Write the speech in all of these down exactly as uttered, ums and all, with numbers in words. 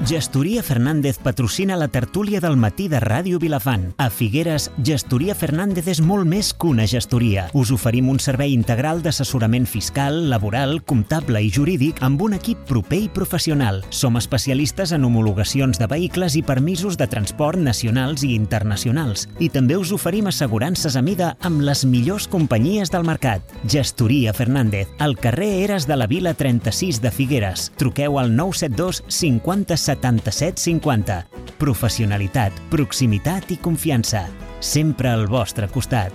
Gestoria Fernández patrocina la tertúlia del matí de Ràdio Vilafant. A Figueres, Gestoria Fernández és molt més que una gestoria. Us oferim un servei integral d'assessorament fiscal, laboral, comptable i jurídic amb un equip proper i professional. Som especialistes en homologacions de vehicles i permisos de transport nacionals i internacionals. I també us oferim assegurances a mida amb les millors companyies del mercat. Gestoria Fernández, al carrer Eres de la Vila trenta-sis de Figueres. Truqueu al nou set dos cinquanta setanta-set cinquanta. Professionalitat, proximitat i confiança. Sempre al vostre costat.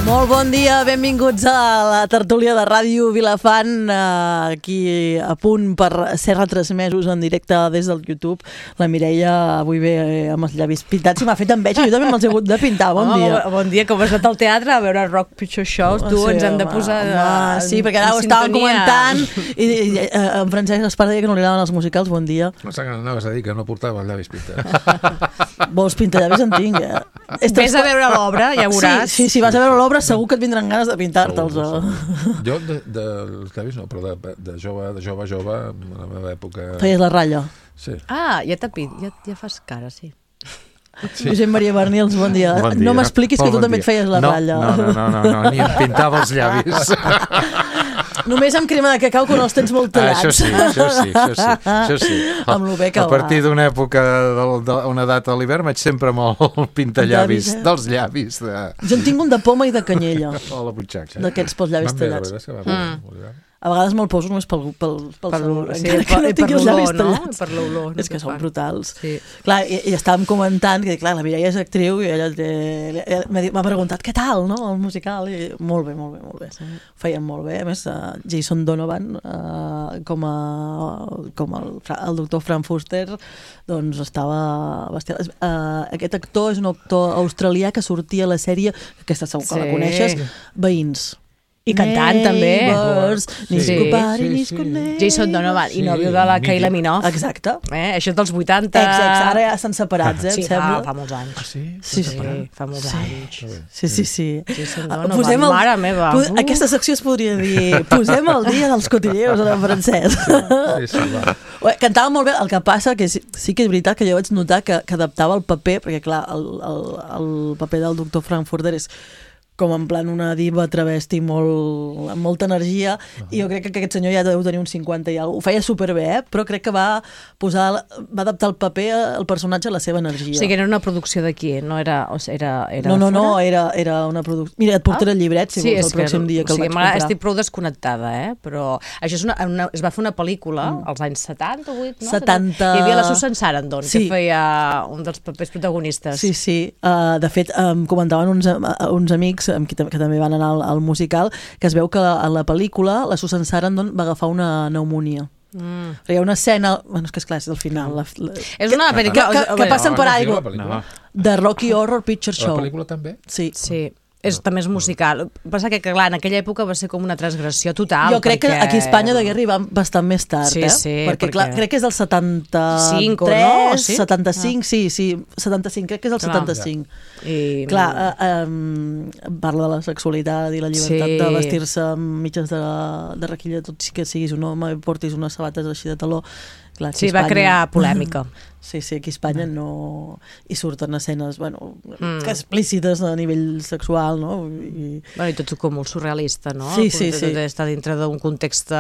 Molt bon dia, benvinguts a la tertúlia de Ràdio Vilafant, aquí a punt per ser retransmesos en directe des del YouTube. La Mireia avui ve amb els llavis pintats i m'ha fet enveja, jo també me'ls he hagut de pintar. Bon home, dia. Bon dia, com has anat al teatre a veure Rock Picture Shows, tu Sí, ens hem de home, posar home, en, sí, perquè ara ho estàvem comentant i, i, i en Francesc Espar deia que no li agraden els musicals. Bon dia. No sé que anaves a dir que no portava els llavis pintats. Vols pintallavis en tinc, eh? Vés a veure l'obra, ja veuràs. Sí, sí, si vas a veure l'obra segur que et vindran ganes de pintar-te'ls. Segur, segur. Jo de, de, dels llavis no, però de, de jove, de jove, jove, en la meva època... Feies la ratlla. Sí. Ah, ja t'ha pit, ja, ja fas cara, sí. Sí. Josep Maria Bernils, bon dia. Bon dia. No m'expliquis que tu bon també dia. et feies la no, ratlla. No, no, no, no, no, ni em pintava els llavis. Només amb crema de cacau quan els tens molt Ah, tallats. això sí, això sí, això sí, això sí. Amb lo bé que a va. partir d'una època, d'una data a l'hivern, vaig sempre amb el pintallavis, Llavis, eh? dels llavis. De... Jo en tinc un de poma i de canyella. O la butxaca. D'aquests pels llavis Van bé, la tallats. veritat és que va bé, molt bé. A vegades me'l poso només pel, pel, pel, Per sabor, l'olor, sí, encara per- que no i per tingui els llavis l'olor, no? tallats. Per l'olor, no És que te són fan. brutals. Sí. Clar, i, i estàvem comentant que, clar, la Mireia és actriu i ella té, m'ha dit- m'ha preguntat què tal, no?, el musical. I molt bé, molt bé, molt bé. Sí. Ho feien molt bé. A més, uh, Jason Donovan, uh, com, a, com el, el doctor Frank Fuster, doncs estava bestial. Uh, aquest actor és un actor australià que sortia a la sèrie, aquesta segur que Sí. la coneixes, Veïns. I cantant, també. Neighbors, Sí. Nisco Sí, Pari, sí, Nisco sí. Neighbors. Jason Donovan, Sí, i nòvio de la mític. Kylie Minogue. Exacte. Eh? Això és dels vuitanta. Exacte, ara ja estan separats, eh, Sí, em fa, sembla. fa molts anys. Ah, sí? Sí, sí. Sí, fa molts Sí. anys. Sí, sí, sí. Jason Ah, Donovan, posem el- mare meva. po- Uh. Aquesta secció es podria dir posem el dia dels cotilleos en francès. Sí, sí, va. Ué, cantava molt bé, el que passa que sí, sí que és veritat que jo vaig notar que, que adaptava el paper, perquè clar, el, el, el paper del doctor Frankfurter és com en plan una diva travesti molt, amb molta energia, uh -huh. i jo crec que aquest senyor ja deu tenir uns cinquanta i alguna cosa. Ho feia superbé, eh? Però crec que va posar, va adaptar el paper, el personatge a la seva energia. O sigui, era una producció d'aquí, no era... O sigui, era, era no, no, no, fora? era, era una producció... Mira, et portaré Ah? el llibret, si sí, vols, el pròxim dia que o sigui, el vaig comprar. estic prou desconnectada, eh? Però això és una, una, es va fer una pel·lícula mm. als anys setanta, vuit, no? setanta... Hi havia la Susan Sarandon, Sí. que feia un dels papers protagonistes. Sí, sí. Uh, de fet, em comentaven uns, uns amics amb qui, que també van anar al, al musical, que es veu que a la pel·lícula la Susan Sarandon va agafar una pneumònia. Mm. Hi ha una escena... Bueno, és que esclar, és del final. La, la, És una que, pel·lícula... que, que, que passen per aigua. No. De Rocky Horror Picture La Show. pel·lícula també? Sí. Sí. És, també és musical. El que passa que, clar, en aquella època va ser com una transgressió total. Jo crec perquè... que aquí a Espanya degué arribar bastant més tard, Sí, eh? sí, perquè, perquè- clar, crec que és del setanta-tres, Cinc, no? Sí? setanta-cinc, sí, sí, setanta-cinc, crec que és el Clar. setanta-cinc. I... Clar, eh, um, parla de la sexualitat i la llibertat Sí. de vestir-se amb mitges de, de requilla, tot sí que siguis un home i portis unes sabates així de taló. Clar, aquí Sí, a va Espanya- crear polèmica. Sí, sí, aquí a Espanya no... I surten escenes, bueno, Mm. que explícites a nivell sexual, no? I... Bueno, i tot com molt surrealista, no? Sí, sí, sí. Tot està dintre d'un context...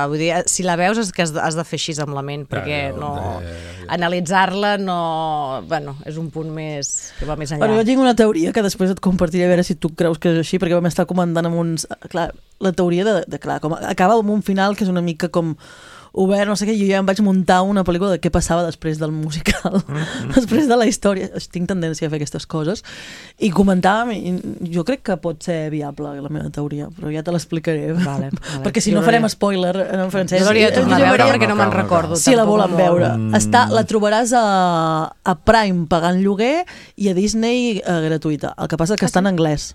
Vull dir, si la veus és que has de, has de fer així amb la ment, perquè Ja, ja, no... ja, ja, ja. Analitzar-la no... Bueno, és un punt més... que va més enllà. Bueno, jo tinc una teoria que després et compartiré a veure si tu creus que és així, perquè vam estar comentant amb uns... Clar, la teoria de, de clar, com acaba amb un final que és una mica com obert, no sé què, jo ja em vaig muntar una pel·lícula de què passava després del musical, mm-hmm. després de la història. Tinc tendència a fer aquestes coses. I comentàvem, i jo crec que pot ser viable, la meva teoria, però ja te l'explicaré. Vale, vale. Perquè si Jo no farem hauria- spoiler en francès. Jo l'hauria de tornar a Jo veure hauria- perquè no me'n calma, recordo. Si la tampoc volen molt. veure. Mm. Està, la trobaràs a, a Prime pagant lloguer i a Disney eh, gratuïta. El que passa és que està en anglès.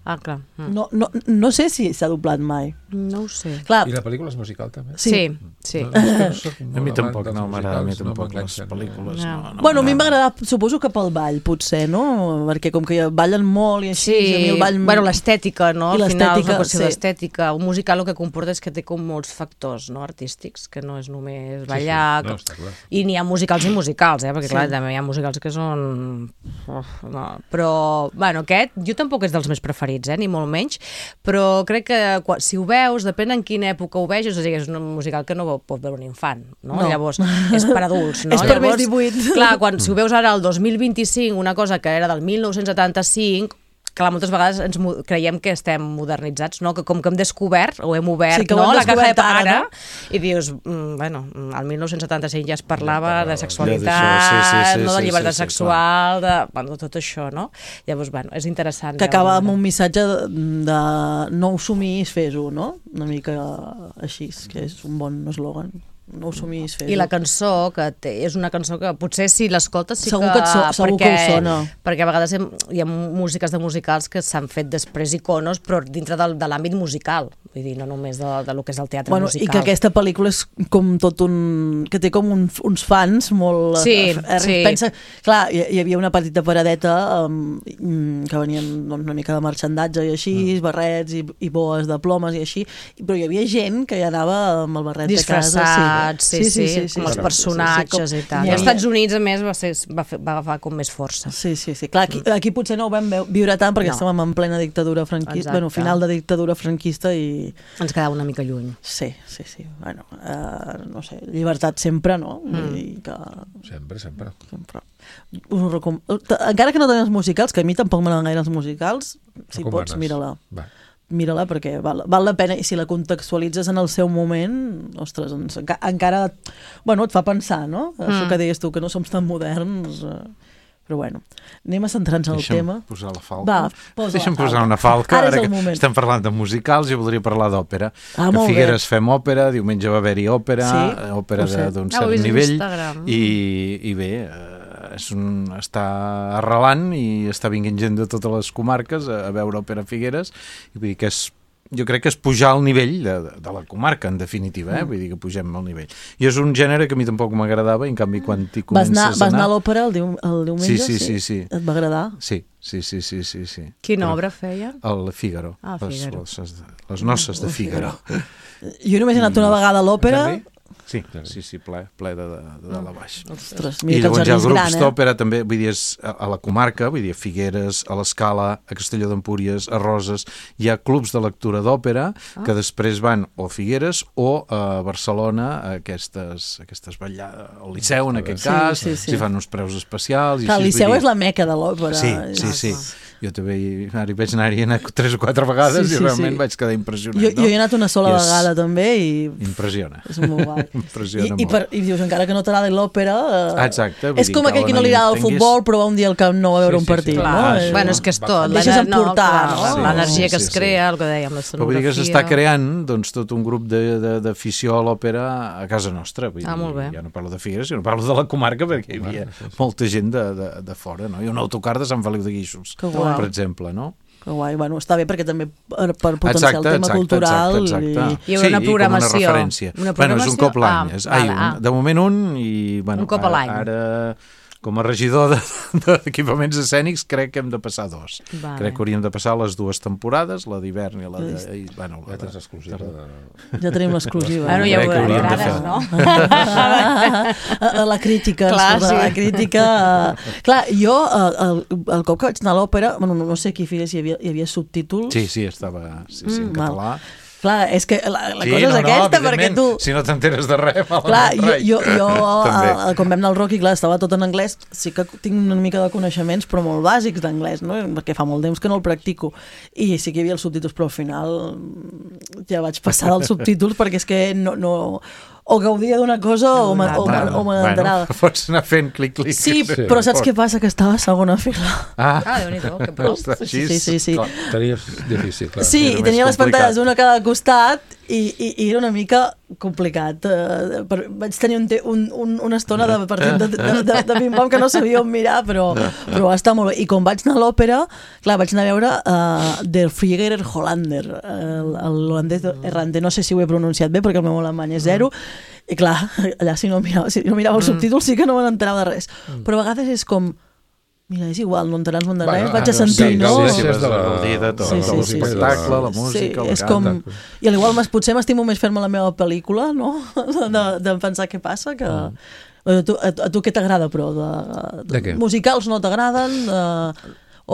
Ah, clar. Mm. No, no, no sé si s'ha doblat mai. No ho sé. Clar, I la pel·lícula és musical, també? Sí, sí. No, és que no soc A molt mi amant tampoc dels no m'agrada, a mi musicals, no tampoc les m'enganxen. pel·lícules. No. No, no bueno, a mi m'agrada. m'agrada, suposo que pel ball, potser, no? Perquè com que ballen molt i així, Sí, a mi el ball... bueno, l'estètica, no? I Al final és l'estètica, una qüestió sí. d'estètica. Un musical el que comporta és que té com molts factors, no?, artístics, que no és només ballar... Sí, sí. No, està clar. I n'hi ha musicals i musicals, eh? Perquè, Sí. clar, també hi ha musicals que són... Uf, no. Però, bueno, aquest, jo tampoc és dels meus preferits, eh? Ni molt menys, però crec que quan, si ho veus, depèn en quina època ho veus, és a dir, és un musical que no pot veure un infant, no? No. Llavors, és per adults, no? És per Llavors, més divuit. Clar, quan, si ho veus ara el dos mil vint-i-cinc, una cosa que era del mil nou-cents setanta-cinc, clar, moltes vegades ens mo- creiem que estem modernitzats, no? Que com que hem descobert, o hem obert, Sí, que ho no?, hem la caja de descobert ara, Pandora, no? i dius, mm, bueno, al mil nou-cents setanta-cinc ja es parlava Ja de parlava, sexualitat, ja d'això, sí, sí, sí, no, de sí, llibertat sí, sí, sexual, de, bueno, tot això, no? Llavors, bueno, és interessant. Que acaba veure. amb un missatge de, de no ho somis, fes-ho, no? Una mica així, que és un bon eslògan. No ho somis, fes-ho. I la cançó, que té, és una cançó que potser si l'escoltes sí Segur que... que et so- segur que us sona. Perquè a vegades hem, hi ha músiques de musicals que s'han fet després iconos, però dintre del, de l'àmbit musical. Vull dir, no només de, de lo que és el teatre Bueno, musical. i que aquesta pel·lícula és com tot un... que té com un, uns fans molt... Sí, eh, sí. Pensa, clar, hi, hi havia una petita paradeta um, que venien doncs, una mica de marxandatge i així, mm. barrets i, i boes de plomes i així, però hi havia gent que hi anava amb el barret de casa. Disfressats, sí, sí, sí, com els sí, personatges sí, sí, i tal. Hi I als havia- Estats Units, a més, va, ser, va, fer, va agafar com més força. Sí, sí, sí. Clar, aquí, aquí potser no ho vam veu- viure tant perquè No. estàvem en plena dictadura franquista, Exacte. bueno, final de dictadura franquista i... Ens quedava una mica lluny. Sí, sí, sí. Bueno, uh, no sé, llibertat sempre, no? Mm. I que... Sempre, sempre. sempre. Us ho recom... Encara que no tenen els musicals, que a mi tampoc m'agraden gaire els musicals, si Recomanes. pots, mira-la. Va. Mira-la perquè val, val la pena i si la contextualitzes en el seu moment, ostres, ens, enca, encara bueno, et fa pensar, no? Mm. Això que deies tu, que no som tan moderns, eh, però bueno, anem a centrar-nos en el Deixa'm tema. posar la falca. Va, posa Deixa'm la falca. posar una falca. Ara és Ara el que moment. estem parlant de musicals, jo voldria parlar d'òpera. Ah, que molt a bé. Figueres fem òpera, diumenge va haver-hi òpera, Sí? eh, òpera Ho sé. de- d'un Ah, ho he cert vist a nivell, Instagram. i, i bé, eh, és un, està arrelant i està vinguent gent de totes les comarques a, a veure òpera a Figueres, i vull dir que és jo crec que és pujar al nivell de, de la comarca, en definitiva, eh? Vull dir que pugem al nivell. I és un gènere que a mi tampoc m'agradava, i en canvi quan t'hi Vas comences anar, a vas anar anar... a l'òpera el, diu, el diumenge? Sí, sí, sí, sí. Et va agradar? Sí, sí, sí, sí, sí, sí. Quina Però- obra feia? El Fígaro. Ah, les, Fígaro. les, les noces de Fígaro. Jo només he anat una vegada a l'òpera. Jardí? Sí, sí, sí, ple, ple de, de, de dalt a baix. Ostres, I mira que el llavors hi ha jardí és grups gran, eh? d'òpera també, vull dir, és a, a la comarca, vull dir, a Figueres, a l'Escala, a Castelló d'Empúries, a Roses, hi ha clubs de lectura d'òpera Ah. que després van o a Figueres o a Barcelona a aquestes, aquestes ballades, al Liceu en aquest Sí, cas, sí, sí. s'hi fan uns preus especials. I Clar, el així, Liceu vull és dir- la meca de l'òpera. Sí, sí, sí. Jo també hi, ara hi vaig anar-hi anar tres o quatre vegades Sí, sí, i realment sí. vaig quedar impressionat. Jo, no? jo he anat una sola I és- vegada també i Impressiona. és molt guai. Impressiona I, i, molt. per, I dius, encara que no t'agrada l'òpera... Eh, Ah, exacte, vull és dir, com aquell cal que no li anar-hi agrada el entenguis. futbol però va un dia al Camp Nou a veure Sí, un sí, sí. partit. Clar, no? Ah, Eh, això. bueno, és que és tot. Et deixes l'ener- no, emportar, clar, no? L'energia Sí, que sí, es sí. crea, el que dèiem, Però vull dir l'escenografia... que s'està creant doncs, tot un grup de- de- d'afició a l'òpera a casa nostra. Vull Ah, dir, molt bé. ja no parlo de Figueres, sinó parlo de la comarca, perquè hi havia molta gent de, de, de fora. No? Hi ha un autocar de Sant Feliu de Guíxols, Que guai. per exemple, no? Que guai, bueno, està bé perquè també per, per potenciar Exacte, el tema exacte, cultural exacte, exacte. i... Hi haurà una sí, programació. I com una referència. Una Bueno, és un cop programació? l'any. Ah, és, ai, vale, un, ah. de moment un, i bueno, Un cop a ara, l'any. ara com a regidor de- d'equipaments escènics crec que hem de passar dos. Vale. Crec que hauríem de passar les dues temporades, la d'hivern i la de... I, bueno, la Ja tens de, exclusiva. De... Ja tenim l'exclusiva. Bueno, ja Crec que ho hauríem de veuràs, fer. no? A la crítica, Clar, escolta, sí. la crítica... eh, Clar, jo, eh, el, el cop que vaig anar a l'òpera, bueno, no, no sé qui figués, hi havia, hi havia subtítols. Sí, sí, estava sí, sí, en Mm, val. català. Clar, és que la, la Sí, cosa és no, no, aquesta, perquè evidentment, tu... si no t'enteres de res, malament Clar, jo, rai. jo, jo També. a, a, quan vam anar al Rocky, clar, estava tot en anglès, sí que tinc una mica de coneixements, però molt bàsics d'anglès, no? Perquè fa molt temps que no el practico. I sí que hi havia els subtítols, però al final mm, ja vaig passar dels subtítols perquè és que no... no o gaudia d'una cosa o me- o me- o me n'enterava. Bueno, pots anar fent clic-clic. Sí, però saps què passa? Que estava a segona fila. Ah, Ah, Déu-n'hi-do, que prou. està Sí, així. sí, sí, sí. Clar. Tenies difícil, clar. Sí, Era i més tenia les complicat. pantalles una a cada costat I, i, i era una mica complicat. Uh, per, vaig tenir un, te, un, un, una estona de partit de, de, de, de ping-pong que no sabia on mirar, però, però va estar molt bé. I com vaig anar a l'òpera, clar, vaig anar a veure uh, Der Flieger Hollander, uh, l'holandès errante. No sé si ho he pronunciat bé, perquè el meu alemany és zero, i clar, allà si no mirava, si no mirava els subtítols sí que no me n'enterava de res. Però a vegades és com... Mira, és igual, no enterar no enterar res, vaig a sentir, sí, no? Sí, sí, de la, de tot, sí, sí, el sí, espectacle, sí, la música, sí, el és com... cant. I al igual potser m'estimo més fer-me la meva pel·lícula, no? De, de pensar què passa, que... Mm. A, tu, a, a tu què t'agrada, però? De, de què? Musicals no t'agraden? De,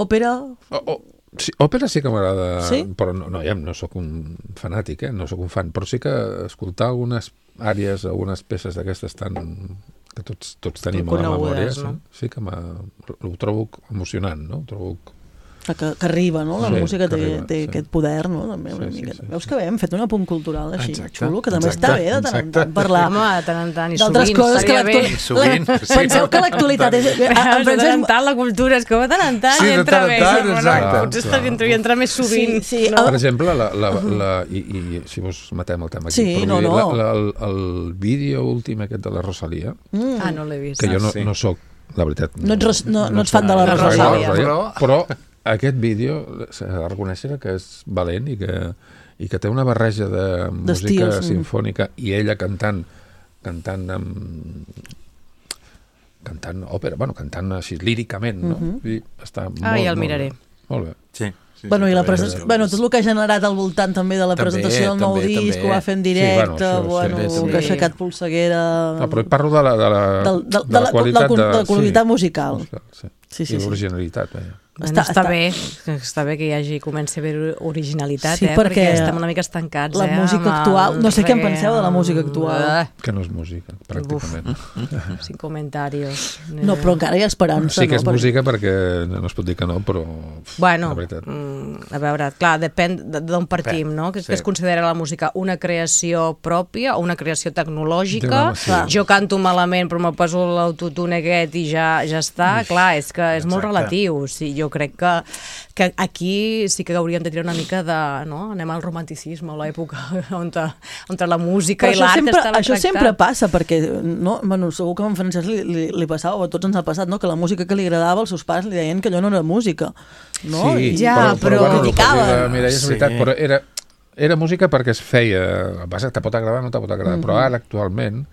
òpera? Oh, oh. Sí, òpera sí que m'agrada, sí? però no, no, ja no sóc un fanàtic, eh? No sóc un fan, però sí que escoltar algunes àrees, algunes peces d'aquestes tan... que tots, tots tenim a la memòria, no? Sí, sí que ho trobo emocionant, no? Ho trobo... Que, que arriba, no? La sí, música té, arriba, té sí. aquest poder, no? També una sí, mica. sí, sí, Veus sí. que bé, hem fet un apunt cultural així, exacte, xulo, que també exacte, està bé de tant en exacte. tant parlar. Home, de tant en tant i d'altres sovint, coses que estaria bé. l'actualitat... Sovint, La... sí. Penseu que l'actualitat és... Però de tant en tant la cultura és que de tant en tant Sí, hi de entra tant en més. tant, Bueno, exacte. potser està dintre i entra més sovint. Sí, sí. No? Per exemple, la, la, la, i, i si vos matem el tema aquí, Sí, però no, vull dir, no. La, la, el, el vídeo últim aquest de la Rosalia, Mm. Ah, no l'he vist. que jo no, sí. no sóc, la veritat... No ets, ros- no, no ets fan de la La Rosalia. Rosalia. però, però aquest vídeo s'ha de reconèixer que és valent i que, i que té una barreja de música D'estils, mm. sinfònica i ella cantant cantant amb cantant òpera, bueno, cantant així líricament, no? Mhm. I està molt, Ah, ja el molt miraré. bé. Molt bé. Sí, sí, Bueno, sí, i la també, present... també. bueno, tot el que ha generat al voltant també de la També, presentació del nou també, disc, també. ho va fer en Sí, directe, bueno, això, bueno, sí, que també. ha aixecat polseguera... No, però parlo de la, de la, Del- del- de de la la- qualitat, de la- de la qualitat sí, musical. sí. Sí, sí, I sí. l'originalitat, vaja. Està, Està- està, està- bé, que està bé que hi hagi, comenci a haver originalitat, Sí, eh? perquè perquè estem una mica estancats, la eh? música amb el actual- no sé què en reggae, penseu de la música actual. Ah, Que no és música, pràcticament. sin comentarios. No, però encara hi ha esperança, Sí que és no? música perquè no es pot dir que no, però Bueno, la veritat. mm, a veure, clar, depèn de- d'on partim, no? Que, sí. que es considera la música una creació pròpia o una creació tecnològica. Sí. Jo canto malament però me poso l'autotune aquest i ja, ja està. Clar, és que és molt Exacte. relatiu. Sí, jo crec que, que aquí sí que hauríem de tirar una mica de... No? Anem al romanticisme, a l'època on, on la música Però i això l'art sempre, estava això tractat. sempre passa, perquè no, bueno, segur que a en Francesc li, li, li passava, o a tots ens ha passat, no? Que la música que li agradava, els seus pares li deien que allò no era música. No? Sí, I, Ja, però, però- però bueno, el que criticaven. diu la Mireia és Sí. veritat, però era, era música perquè es feia, el que passa és que te pot agradar o no te pot agradar, però ara actualment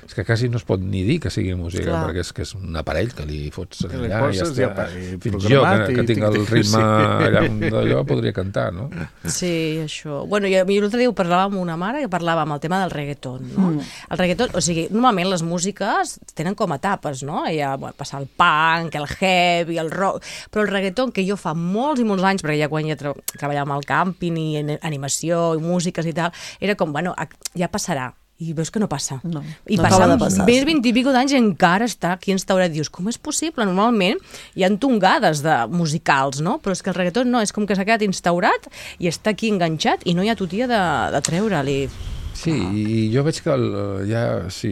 és que quasi no es pot ni dir que sigui música, Clar. perquè és que és un aparell que li fots Que li allà i ja poses està. i apa, i Fins jo, programat que, i que tinc el tic-tic, ritme sí. allà on d'allò, podria cantar, no? Sí, això. Bueno, jo, jo l'altre dia ho parlava amb una mare que parlava amb el tema del reggaeton, no? Mm. El reggaeton, o sigui, normalment les músiques tenen com etapes, no? Hi ha bueno, passar el punk, el heavy, el rock, però el reggaeton que jo fa molts i molts anys, perquè ja quan ja tra treballava al càmping i en animació i músiques i tal, era com, bueno, ja passarà. I veus que no passa. No, I no acaba passant de passar, més sí. vint i pico d'anys i encara està aquí instaurat. Dius, com és possible? Normalment hi ha tongades de musicals, no? Però és que el reggaeton no, és com que s'ha quedat instaurat i està aquí enganxat i no hi ha tutia de, de treure-li. Sí, i jo veig que el, ja, si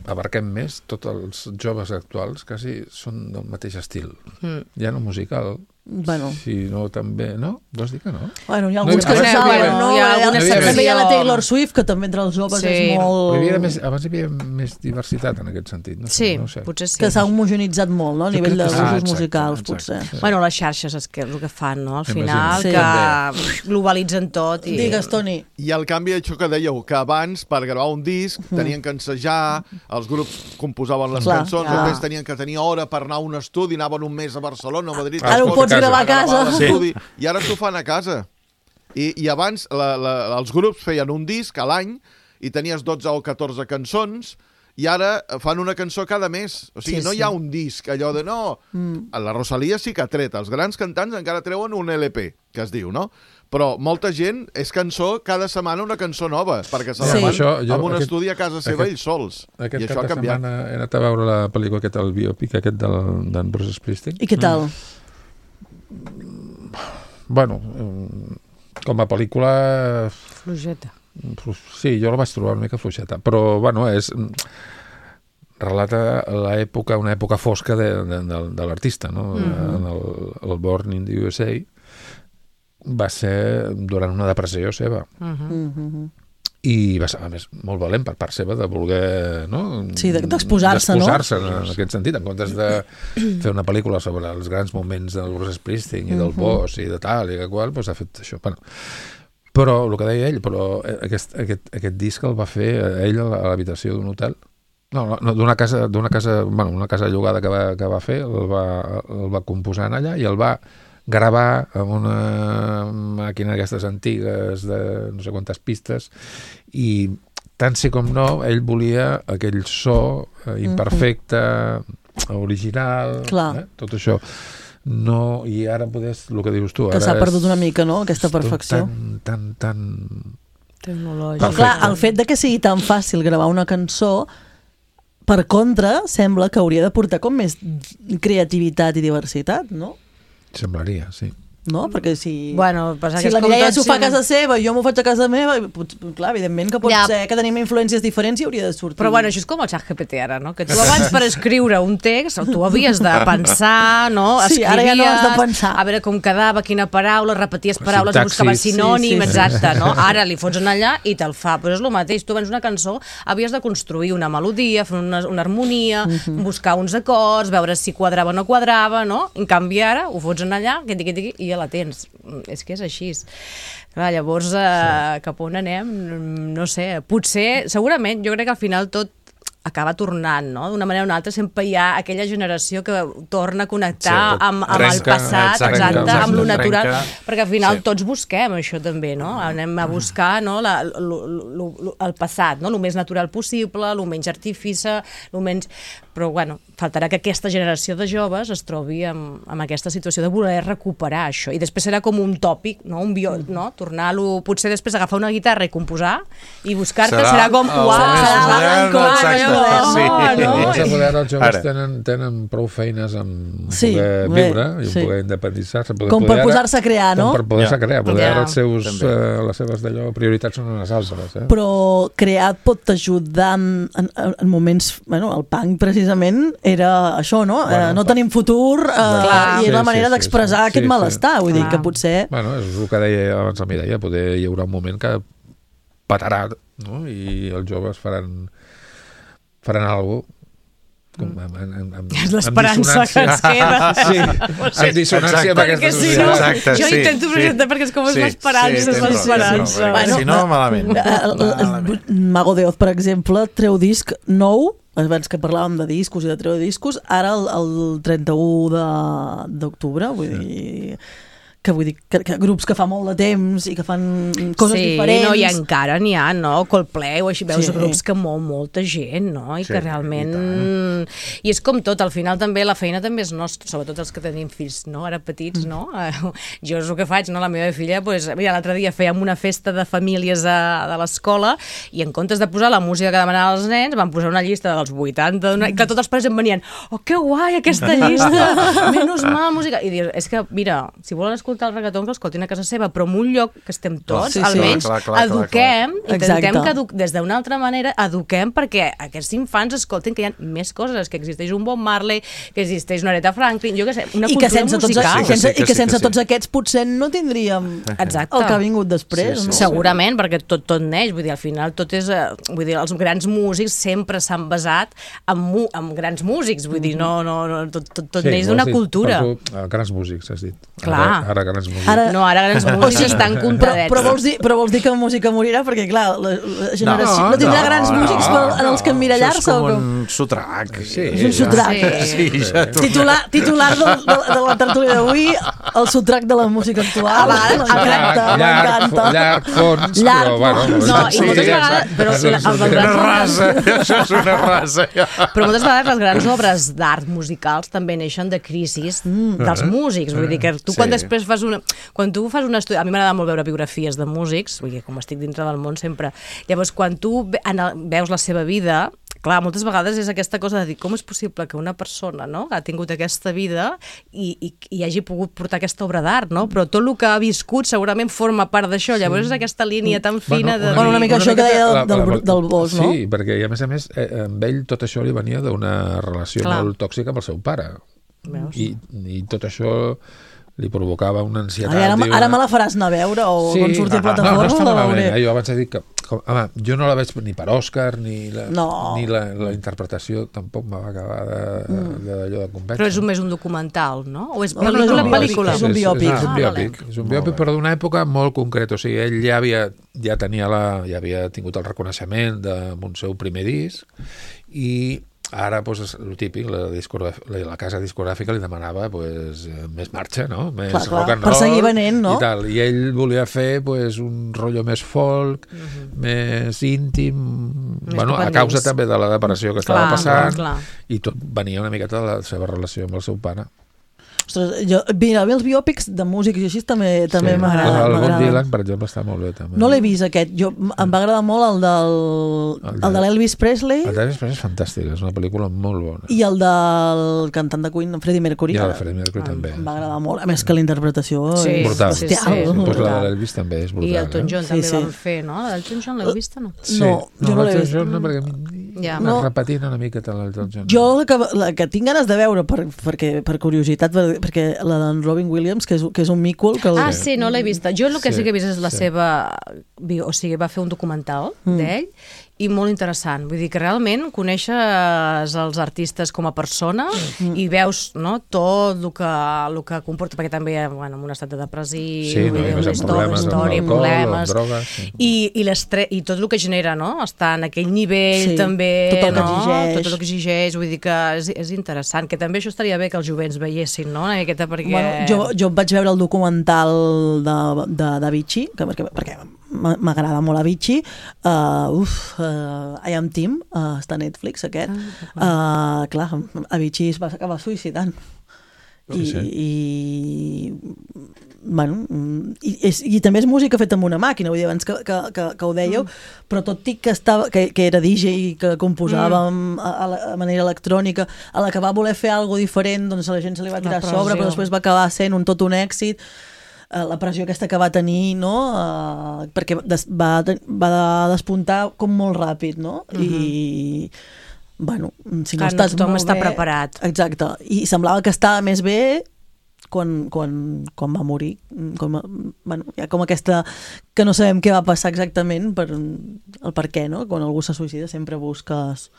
abarquem més, tots els joves actuals quasi són del mateix estil. Mm. Ja no musical, Bueno. si no també... No? Vols dir que no? Bueno, hi ha No, alguns hi que havia- se saben, bueno, no? hi ha Hi ha- alguna També hi ha la secció. Taylor Swift, que també entre els joves Sí. és Però molt... hi havia més, abans hi havia més diversitat en aquest sentit. No sé, Sí, no ho sé. potser sí. Que s'ha homogenitzat molt, no? A Jo nivell crec de que sí. usos Ah, exacte, musicals, exacte. potser. Bueno, les xarxes és que és el que fan, no? Al Imagino. final, Sí. que globalitzen tot. I... Digues, Toni. I el canvi, això que dèieu, que abans, per gravar un disc, tenien que ensejar, els grups composaven les Clar, cançons, clar. després tenien que tenir hora per anar a un estudi, anaven un mes a Barcelona, a Madrid... Ara ho escolta, pots gravar a casa. a l'estudi, I ara s'ho fan a casa. I, i abans la, la, els grups feien un disc a l'any i tenies dotze o catorze cançons i ara fan una cançó cada mes. O sigui, Sí, no sí. hi ha un disc, allò de no... Mm. La Rosalia sí que ha tret. Els grans cantants encara treuen un L P, que es diu, no? Però molta gent és cançó, cada setmana una cançó nova, perquè se la Sí. fan Això, jo, amb un aquest- estudi a casa seva aquest- ells sols. Aquest I això cap ha de canviat. setmana he anat a veure la pel·lícula aquest, el biòpic aquest del- d'en Bruce Springsteen. I què tal? Bueno, eh, com a pel·lícula... Flojeta. Sí, jo la vaig trobar una mica fluixeta, però, bueno, és... relata l'època, una època fosca de, de, de, de l'artista, no? Mm-hmm. En el, el Born in the U S A va ser durant una depressió seva. Uh -huh. Mm-hmm. i va ser, a més, molt valent per part seva de voler, no? Sí, d'exposar-se, no? D'exposar-se en aquest sentit, en comptes de fer una pel·lícula sobre els grans moments del Bruce Springsteen i del Boss i de tal i que qual, doncs ha fet això. Bueno, però, el que deia ell, però aquest, aquest, aquest disc el va fer ell a l'habitació d'un hotel. No, no d'una casa, d'una casa, bueno, una casa llogada que va, que va fer, el va, el va composar en allà i el va gravar amb una màquina d'aquestes antigues de no sé quantes pistes i tant sí com no ell volia aquell so eh, imperfecte, mm-hmm. original, eh? Tot això no, i ara podés, el que dius tu que s'ha perdut una mica, no?, aquesta perfecció tan, tan, tan tecnològic. Clar, el fet de que sigui tan fàcil gravar una cançó per contra, sembla que hauria de portar com més creativitat i diversitat, no? Semblaria, sí. No? Perquè si, bueno, si la Mireia s'ho fa a casa seva i jo m'ho faig a casa meva, pot, clar, evidentment que pot ja. ser que tenim influències diferents i hauria de sortir. Però bueno, això és com el xat G P T ara, no? Que tu abans per escriure un text tu havies de pensar, no? Sí, escrivies, ara ja no has de pensar. A veure com quedava, quina paraula, repeties paraules, buscaves sinònim, sí, sí, exacte, sí. no? Ara li fots en allà i te'l fa. Però és el mateix, tu abans una cançó havies de construir una melodia, fer una, una harmonia, uh-huh. buscar uns acords, veure si quadrava o no quadrava, no? En canvi ara ho fots en allà i ja la tens. És que és així. Clar, llavors, eh, sí. cap on anem? No sé, potser, segurament, jo crec que al final tot acaba tornant, no? D'una manera o una altra sempre hi ha aquella generació que torna a connectar sí, amb, amb trenca, el passat, exacte, exacte, exacte, amb lo natural, trenca, perquè al final sí. tots busquem això també, no? Anem a buscar no? la, lo, lo, lo, el passat, no? El més natural possible, el menys artifici, el menys... Però, bueno, faltarà que aquesta generació de joves es trobi amb, amb aquesta situació de voler recuperar això. I després serà com un tòpic, no? Un bio, no? Tornar-lo... Potser després agafar una guitarra i composar i buscar-te serà, serà com... Uau, serà exacte. Sí. No, no? Els apoderats joves tenen, tenen prou feines amb sí, poder viure bé, i sí. poder independitzar-se. Com per posar-se a crear, no? Com per poder-se a crear. Poder ja. els seus, uh, les seves d'allò prioritats són unes altres. Eh? Però crear pot ajudar en, en, en moments... Bueno, el punk precisament era això, no? Bueno, eh, no tenim futur eh, clar, i és sí, la manera sí, d'expressar sí, aquest sí, malestar. Vull clar. dir que potser... Bueno, és el que deia abans la Mireia, poder hi haurà un moment que patarà, no? I els joves faran faran alguna cosa és l'esperança que ens queda sí, en dissonància amb aquesta si no, exacte, jo sí, intento presentar sí, perquè és com és sí, l'esperança sí, és l'esperança bueno, si no, malament el, el, el Mago de Oz, per exemple, treu disc nou abans que parlàvem de discos i de treure discos ara el, el trenta-u d'octubre vull sí. dir que vull dir, que, que grups que fa molt de temps i que fan coses sí, diferents. Sí, no, i encara n'hi ha, no? Coldplay o així, veus sí. grups que mou molta gent, no? I sí, que realment... I, I és com tot, al final també la feina també és nostra, sobretot els que tenim fills, no? Ara petits, mm. no? Jo és el que faig, no? La meva filla, pues, mira, l'altre dia fèiem una festa de famílies a, de l'escola i en comptes de posar la música que demanaven els nens, van posar una llista dels vuitanta, i clar, tots els pares em venien, oh, que guai, aquesta llista! Menys mal, música! I dius, és que, mira, si volen escoltar el reggaeton que l'escoltin a casa seva, però en un lloc que estem tots, sí, sí. almenys clar, clar, clar, eduquem, clar, clar. intentem que edu des d'una altra manera eduquem perquè aquests infants escoltin que hi ha més coses, que existeix un Bob Marley, que existeix una Aretha Franklin, jo què sé, una I cultura que sense musical. Tots, sí, que sí, que I que sí, sense que sí. tots aquests potser no tindríem Exacte. el que ha vingut després. Sí, sí, no? Segurament, perquè tot, tot neix, vull dir, al final tot és, vull dir, els grans músics sempre s'han basat en, mu en grans músics, vull dir, no, no, no tot, tot, tot sí, neix d'una cultura. Tu, grans músics, has dit. Clar. Ara, ara grans músics. Ara, no, ara grans músics o sigui, estan comptadets. Però, però, vols dir, però vols dir que la música morirà? Perquè, clar, la, la generació no, no tindrà no, grans no, músics per, en els que emmirallar-se? Això és com un sotrac. Sí, és un sotrac. Sí. Sí, ja titular, titular de, de, de la tertúlia d'avui, el sotrac de la música actual. M'encanta, m'encanta. Llarg, fons, llarg, però, bueno... No, i moltes vegades... Però el una rasa, això és una rasa. Però moltes vegades les grans obres d'art musicals també neixen de crisis dels músics. Vull dir que tu quan després fas una... Quan tu fas un estudi... A mi m'agrada molt veure biografies de músics, vull dir, com estic dintre del món sempre. Llavors, quan tu veus la seva vida, clar, moltes vegades és aquesta cosa de dir com és possible que una persona no, ha tingut aquesta vida i, i, i hagi pogut portar aquesta obra d'art, no? Però tot el que ha viscut segurament forma part d'això. Llavors és aquesta línia tan fina de... Bueno, una mica això que deia del, del Bosch, no? Sí, perquè a més a més eh, amb ell tot això li venia d'una relació clar. molt tòxica amb el seu pare. I, i tot això li provocava una ansietat. Ai, ara, una... ara me la faràs anar a veure o sí, quan surti a plataforma? No, no està malament. Eh? Jo abans he dit que Com, home, jo no la veig ni per Òscar, ni la, no. ni la, la interpretació tampoc me va acabar d'allò de, de, de convèncer. Però és un, més un documental, no? O és no, pel·lícula, no, no, pel·lícula? És un biòpic. És, és, és un biòpic, ah, és un biòpic però d'una època molt concreta. O sigui, ell ja havia, ja tenia la, ja havia tingut el reconeixement del seu primer disc i ara, doncs, el típic, la, la, la casa discogràfica li demanava pues, més marxa, no? Més clar, clar, rock and roll. Per seguir venent, no? I, tal. I ell volia fer pues, un rotllo més folk, uh-huh. més íntim, més bueno, a causa també de la depressió que clar, estava passant, clar. I tot venia una miqueta de la seva relació amb el seu pare. Ostres, jo, mira, els biòpics de músics i així també, també sí. m'agrada. El Bob Dylan, per exemple, està molt bé. També. No l'he vist, aquest. Jo, em va agradar molt el, del, el, de, el de l'Elvis Presley. El d'Elvis Presley és fantàstic, és una pel·lícula molt bona. I el del cantant de Queen, Freddie Mercury. I el de Freddie Mercury em, també. Em va agradar molt. A més que la interpretació sí, és brutal. bestial. Sí, sí, pues la de l'Elvis també és brutal. I Elton John eh? també sí, sí. van fer, no? L'Elton John l'heu vist o no? Sí. No, no, jo no l'he vist. John, no, perquè ja. no. repetint una miqueta l'Elton John. Jo la que, la que tinc ganes de veure, per, perquè, per curiositat, per, perquè la d'en Robin Williams, que és, que és un micul... Que el... Ah, sí, no l'he vista. Jo el que sí, sí que he vist és la sí. seva... O sigui, va fer un documental mm. d'ell i molt interessant. Vull dir que realment coneixes els artistes com a persona mm. i veus no, tot el que, el que comporta, perquè també bueno, en un estat de depressió, sí, no, una història, història problemes, drogues, sí. i, i, i tot el que genera, no? Estar en aquell nivell sí, també, tot el que no? exigeix. Tot el que exigeix, vull dir que és, és interessant, que també això estaria bé que els jovents veiessin, no? Aquesta, perquè... bueno, jo, jo vaig veure el documental de, de, de Avicii, que, perquè, perquè m'agrada molt Avicii, uh, uf, uh, I Am Team, uh, està a Netflix aquest, ah, uh, clar, Avicii es va acabar suïcidant. I, sí. i bueno, i, és, i també és música feta amb una màquina, vull dir, abans que, que, que, que ho dèieu, mm. però tot i que, estava, que, que era D J i que composava mm. a, a, la, a manera electrònica, a la que va voler fer alguna cosa diferent, doncs a la gent se li va tirar a sobre, però després va acabar sent un tot un èxit. La pressió aquesta que va tenir, no? Uh, perquè des, va, va despuntar com molt ràpid, no? Uh-huh. I bueno, si no Clar, estàs tothom molt està bé, preparat. Exacte, i semblava que estava més bé quan, quan, quan va morir, com, bueno, hi ha com aquesta que no sabem què va passar exactament per, el per què, no? Quan algú se suïcida sempre busques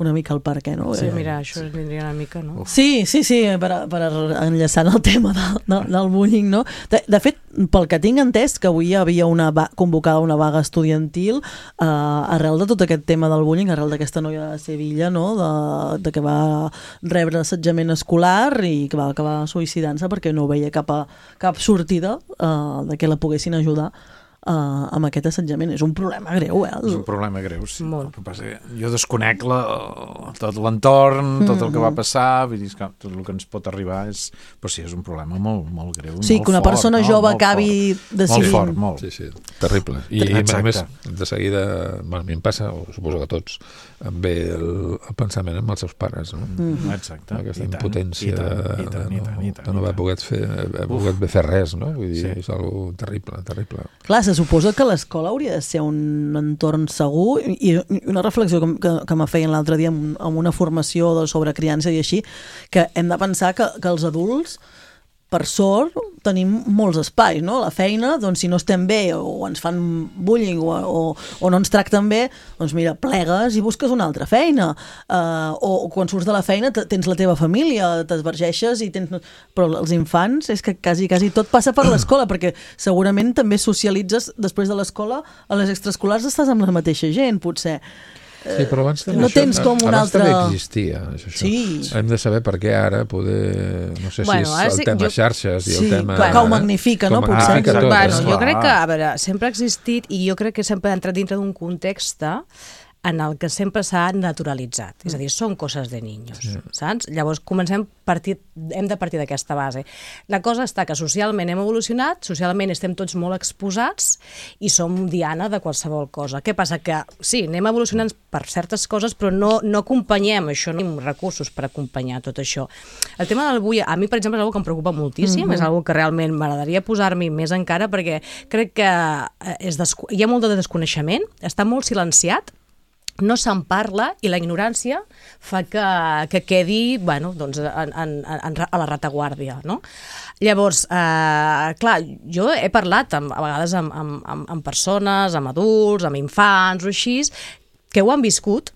una mica el per què, no? Sí, mira, això vindria una mica, no? Sí, sí, sí, per, per enllaçant el tema de, de, del bullying, no? De, de fet, pel que tinc entès, que avui hi havia una va, convocada una vaga estudiantil eh, arrel de tot aquest tema del bullying, arrel d'aquesta noia de Sevilla, no? De, de que va rebre assetjament escolar i que va acabar suïcidant-se perquè no veia cap, a, cap sortida eh, de que la poguessin ajudar Uh, amb aquest assetjament. És un problema greu, eh? És un problema greu, sí. Molt. El que passa és que jo desconec la, tot l'entorn, mm-hmm. tot el que va passar, vull dir que tot el que ens pot arribar és... Però sí, és un problema molt, molt greu, sí, molt que una fort, persona no? jove molt acabi fort. decidint... Molt fort, molt. Sí, sí, terrible. I, i a més, de seguida, bueno, a mi em passa, o suposo que a tots, em ve el, el pensament amb els seus pares, no? Mm. Exacte. Aquesta I tant, impotència i tant, i tant, de, i tant, i tant, de no haver pogut fer, pogut fer res, no? Vull dir, sí. és algo terrible, terrible. Clar, se suposa que l'escola hauria de ser un entorn segur i una reflexió que, que, que me feien l'altre dia amb, amb una formació de, sobre criança i així, que hem de pensar que, que els adults per sort tenim molts espais, no? La feina, doncs si no estem bé o ens fan bullying o, o, o no ens tracten bé, doncs mira, plegues i busques una altra feina. Uh, o, o quan surts de la feina tens la teva família, t'esvergeixes i tens... Però els infants és que quasi, quasi tot passa per l'escola, perquè segurament també socialitzes després de l'escola, a les extraescolars estàs amb la mateixa gent, potser. Sí, però abans també, no tens com un abans altre... també existia això. Sí. Hem de saber per què ara poder, no sé bueno, si és el sí, tema jo... xarxes i sí, el tema... que ho magnifica, no? Potser. Magnifica tot, bueno, eh? jo crec que, a veure, sempre ha existit i jo crec que sempre ha entrat dintre d'un context en el que sempre s'ha naturalitzat. És a dir, són coses de niños, sí. Saps? Llavors comencem partir, hem de partir d'aquesta base. La cosa està que socialment hem evolucionat, socialment estem tots molt exposats i som diana de qualsevol cosa. Què passa? Que sí, anem evolucionant per certes coses, però no, no acompanyem això, no tenim recursos per acompanyar tot això. El tema del bullying, a mi, per exemple, és una cosa que em preocupa moltíssim, mm-hmm. és una cosa que realment m'agradaria posar-m'hi més encara, perquè crec que és desco- hi ha molt de desconeixement, està molt silenciat, no se'n parla i la ignorància fa que, que quedi bueno, doncs, en, en, en, a la retaguardia, no? Llavors, eh, clar, jo he parlat amb, a vegades amb, amb, amb persones, amb adults, amb infants o així, que ho han viscut,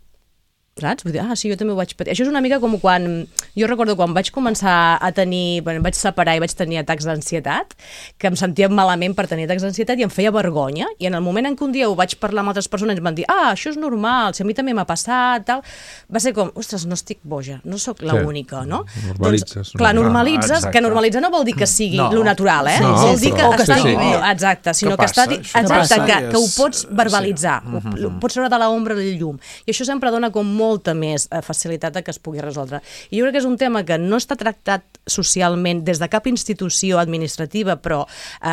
saps? Vull dir, ah, sí, jo també ho vaig patir. Això és una mica com quan... Jo recordo quan vaig començar a tenir... Bueno, em vaig separar i vaig tenir atacs d'ansietat, que em sentia malament per tenir atacs d'ansietat i em feia vergonya. I en el moment en què un dia ho vaig parlar amb altres persones i em van dir, ah, això és normal, si a mi també m'ha passat, tal... Va ser com, ostres, no estic boja, no sóc l'única, no? Normalitzes. Doncs, clar, normalitzes, ah, que normalitzar no vol dir que sigui no. lo natural, eh? No, vol dir que, però, està... sí, sí. No, exacte, sinó que, que, està... passa, exacte, que, és... que ho pots verbalitzar, sí. ho, ho pots treure de l'ombra del llum. I això sempre dona com molta més més facilitat a que es pugui resoldre. I jo crec que és un tema que no està tractat socialment des de cap institució administrativa, però eh,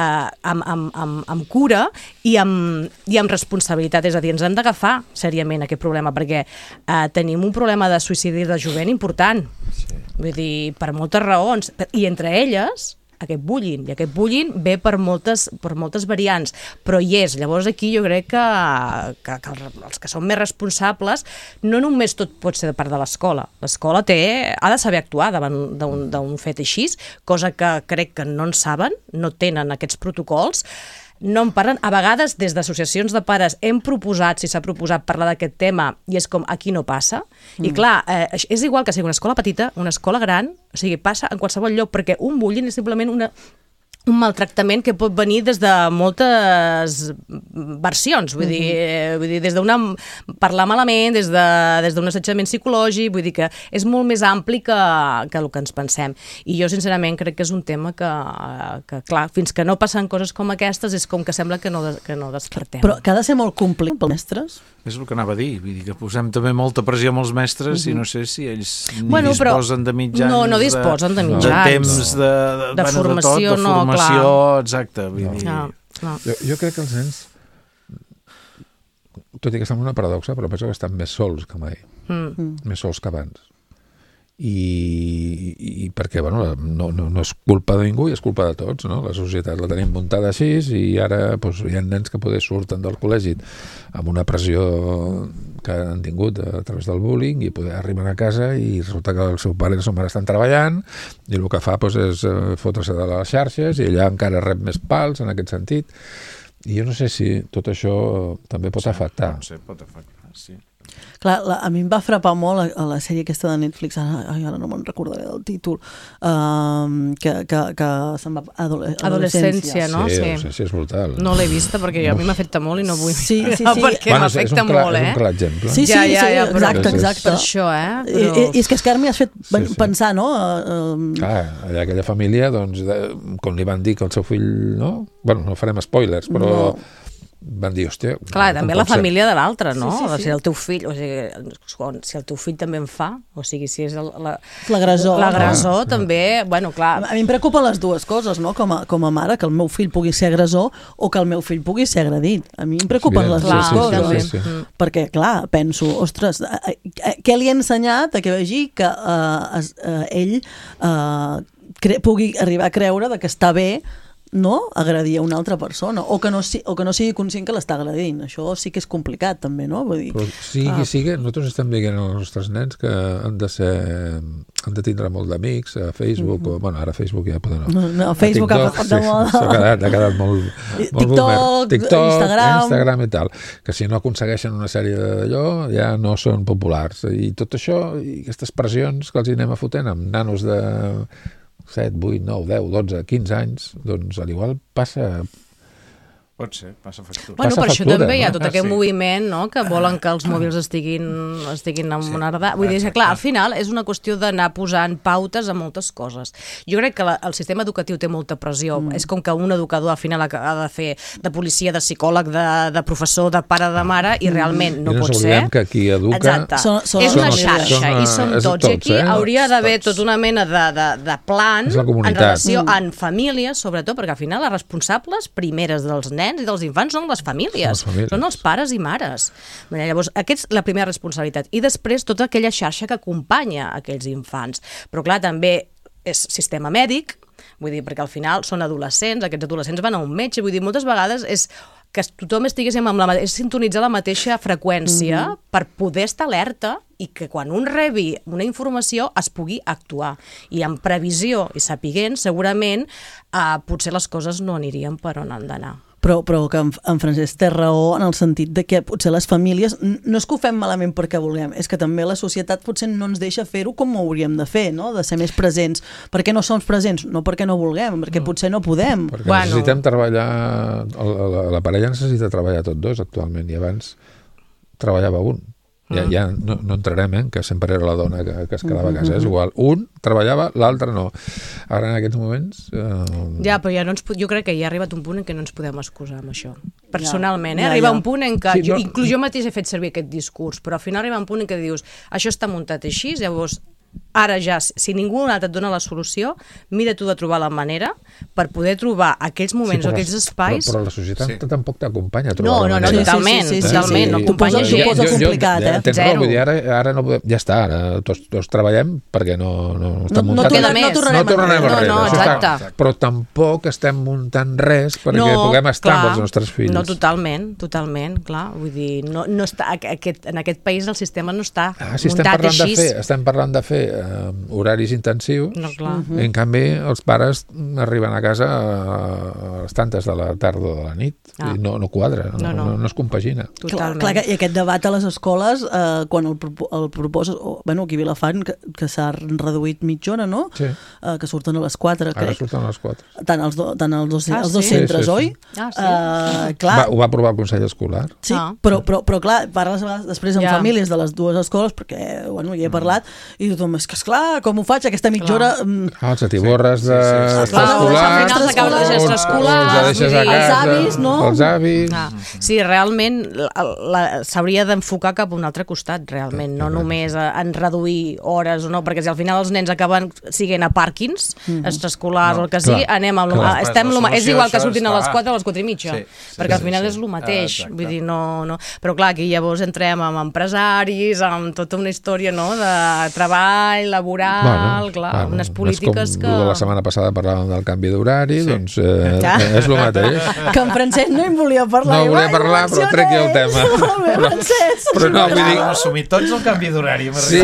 amb, amb, amb, amb cura i amb, i amb responsabilitat. És a dir, ens hem d'agafar seriament aquest problema, perquè eh, tenim un problema de suïcidi de jovent important. Sí. Vull dir, per moltes raons. I entre elles... aquest bullying, i aquest bullying ve per moltes, per moltes variants, però hi és. Llavors aquí jo crec que, que, que els que són més responsables, no només tot pot ser de part de l'escola. L'escola té, ha de saber actuar davant d'un fet així, cosa que crec que no en saben, no tenen aquests protocols, no en parlen. A vegades, des d'associacions de pares, hem proposat, si s'ha proposat, parlar d'aquest tema, i és com, aquí no passa. Mm. I clar, eh, és igual que sigui una escola petita, una escola gran, o sigui, passa en qualsevol lloc, perquè un bullying és simplement una... un maltractament que pot venir des de moltes versions, vull dir, mm-hmm. vull dir des d'una parlar malament, des de des d'un assetjament psicològic, vull dir que és molt més ampli que, que el que ens pensem. I jo, sincerament, crec que és un tema que, que clar, fins que no passen coses com aquestes, és com que sembla que no, que no despertem. Però que ha de ser molt complet pels mestres? És el que anava a dir, vull dir que posem també molta pressió amb els mestres mm-hmm. i no sé si ells ni bueno, disposen de mitjans... No, no disposen de, de mitjans. De temps, de, de, de bueno, formació, de tot, de no, formació, clar. Exacte. Vull dir... No, no. Jo, jo crec que els nens, tot i que estan en una paradoxa, però penso que estan més sols que mai, mm. més sols que abans. I, i, i perquè bueno, no, no, no és culpa de ningú i és culpa de tots, no? La societat la tenim muntada així i ara doncs, hi ha nens que poder surten del col·legi amb una pressió que han tingut a través del bullying i poder arribar a casa i resulta que el seu pare i la seva mare estan treballant i el que fa doncs, és fotre-se de les xarxes i allà encara rep més pals en aquest sentit. I jo no sé si tot això també pot afectar. No sé, pot afectar, sí. Clar, la, a mi em va frapar molt a, a la sèrie aquesta de Netflix, ara, ara no me'n recordaré del títol, um, que, que, que se'n va... Adole Adolescència, no? Sí, Sí, adolescència és brutal. no l'he vista perquè a mi m'afecta molt i no vull Sí, sí, sí. perquè bueno, m'afecta clar, molt, eh? És un clar exemple. Sí, sí, Ja, ja, ja, sí, però- exacte, exacte. Per això, eh? I, Però... i, I és que és que ara m'hi has fet Sí, sí. pensar, no? Uh, Clar, allà aquella família, doncs, de, com li van dir que el seu fill, no? Bueno, no farem spoilers, però No. van dir, hòstia... Clar, com també pot la ser? família de l'altre, no? Sí, sí, sí. O sigui, el teu fill, o sigui, si el teu fill també en fa, o sigui, si és el- la- L'agressor. l'agressor, també, bueno, clar... A mi em preocupen les dues coses, no? Com a, com a mare, que el meu fill pugui ser agressor o que el meu fill pugui ser agredit. A mi em preocupen És les evident, dues sí, sí, coses. sí, sí. Mm. Perquè, clar, penso, ostres, eh, eh, què li ha ensenyat a que vegi que eh, es, eh, ell eh, cre pugui arribar a creure de que està bé no agredir a una altra persona o que no, si, o que no sigui conscient que l'està agredint. Això sí que és complicat també, no? Vull dir, Però sigui ah. qui sigui, nosaltres estem dient als nostres nens que han de ser han de tindre molt d'amics a Facebook, mm -hmm. o bueno, ara Facebook ja poden... No, no, Facebook ha passat de moda. Sí, ha quedat, ha quedat molt, molt TikTok, boomer. TikTok, Instagram. Instagram i tal, que si no aconsegueixen una sèrie d'allò ja no són populars. I tot això, i aquestes pressions que els hi anem a fotent amb nanos de set, vuit, nou, deu, dotze, quinze anys, doncs a l'igual passa... Pot ser, passa factura. Bueno, Passa per això factura, també hi ha no? tot Ah, aquest sí. moviment, no?, que volen que els mòbils estiguin, estiguin en una edat. Vull dir que, clar, al final és una qüestió d'anar posant pautes a moltes coses. Jo crec que la, el sistema educatiu té molta pressió. Mm. És com que un educador al final ha de fer de policia, de psicòleg, de, de professor, de pare, de mare, i realment no I no pot ens ser. oblidem que qui educa... Exacte. Són- són és les una famílies. xarxa, Són, i som és tots. I tots, aquí eh? hauria d'haver Tots. tota una mena de, de, de plan És la en comunitat. relació Mm. en famílies, sobretot, perquè al final les responsables primeres dels nens i dels infants són les famílies. Són les famílies. Són els pares i mares. Llavors, aquesta és la primera responsabilitat. I després, tota aquella xarxa que acompanya aquells infants. Però, clar, també és sistema mèdic, Vull dir, perquè al final són adolescents, aquests adolescents van a un metge, vull dir, moltes vegades és que tothom estiguéssim amb la mateixa, sintonitzar la mateixa freqüència mm-hmm. per poder estar alerta i que quan un rebi una informació es pugui actuar. I en previsió i sapiguent, segurament, eh, potser les coses no anirien per on han d'anar. Però, però que en, en Francesc té raó en el sentit de que potser les famílies, no és que ho fem malament perquè vulguem, és que també la societat potser no ens deixa fer-ho com ho hauríem de fer, no? De ser més presents. Per què no som presents? No perquè no vulguem, perquè no. potser no podem. Perquè bueno. necessitem treballar, la, la, la parella necessita treballar tots dos actualment, i abans treballava un. Ja, ja no, no entrarem, eh, que sempre era la dona que, que es quedava a casa, és igual. Un treballava, l'altre no. Ara en aquests moments... Eh... Ja, però ja no ens, jo crec que ja ha arribat un punt en què no ens podem excusar amb això. Personalment, eh? Arriba un punt en què... Sí, no... jo, inclús jo mateix he fet servir aquest discurs, però al final arriba un punt en què dius això està muntat així, llavors ara ja, si ningú altre et dona la solució, mira tu de trobar la manera per poder trobar aquells moments sí, o aquells espais... Però, però la societat sí. tampoc t'acompanya a trobar no, la no, manera. No, totalment, sí, sí, sí, totalment, sí. no acompanya gent. T'ho posa complicat, jo, jo, eh? Tens raó, vull dir, ara, ara no podem, ja està, ara tots, tots treballem perquè no, no, no està no, muntat. No, no, no tornarem, no tornarem no, enrere. No, no, exacte. Està, però tampoc estem muntant res perquè no, puguem estar clar, amb els nostres fills. No, totalment, totalment, clar. Vull dir, no, no està, aquest, en aquest país el sistema no està ah, si muntat així. De fer, estem parlant de fer uh, horaris intensius, no, clar. Uh-huh. En canvi els pares arriben a casa a les tantes de la tarda o de la nit ah. i no, no quadra, no, no, no. no, no es compagina. Totalment. Clar, clar, i aquest debat a les escoles, eh, quan el, el proposes, oh, bueno, aquí a Vilafant, que, que s'ha reduït mitja hora, no? Sí. Eh, que surten a les quatre, Ara crec. surten a les quatre. Tant els, do, tant els dos, ah, els dos sí? centres, sí, sí, oi? sí. Ah, sí. Uh, clar. Va, ho va aprovar el Consell Escolar. Sí, ah. però, però, però clar, parles després amb ja. famílies de les dues escoles, perquè, bueno, hi he parlat, i tothom, és que esclar, com ho faig, aquesta mitja hora... Ah, els atiborres de sí, sí, sí. escolar, al final s'acaba de deixar escolar, els deixes a casa, els avis, no? Els avis... Ah, sí, realment s'hauria d'enfocar cap a un altre costat, realment, no només a, en reduir hores o no, perquè si al final els nens acaben siguent a pàrquings, mm-hmm. extraescolars no, o el que sigui, clar, anem amb... Clar. Estem lo, és igual que surtin a les quatre o a les quatre i mitja, sí, sí, perquè al final sí, sí. és el mateix, ah, vull dir, no, no... Però clar, aquí llavors entrem amb empresaris, amb tota una història, no?, de treball, laboral, bueno, clar, bueno, unes polítiques que... La setmana passada parlàvem del canvi d'horari, sí. doncs eh, ja. és el mateix. Que en Francesc no en volia parlar. No volia parlar, però trec el tema. Molt bé, Francesc. Però no, vull dir... Assumir tots el canvi d'horari. Sí,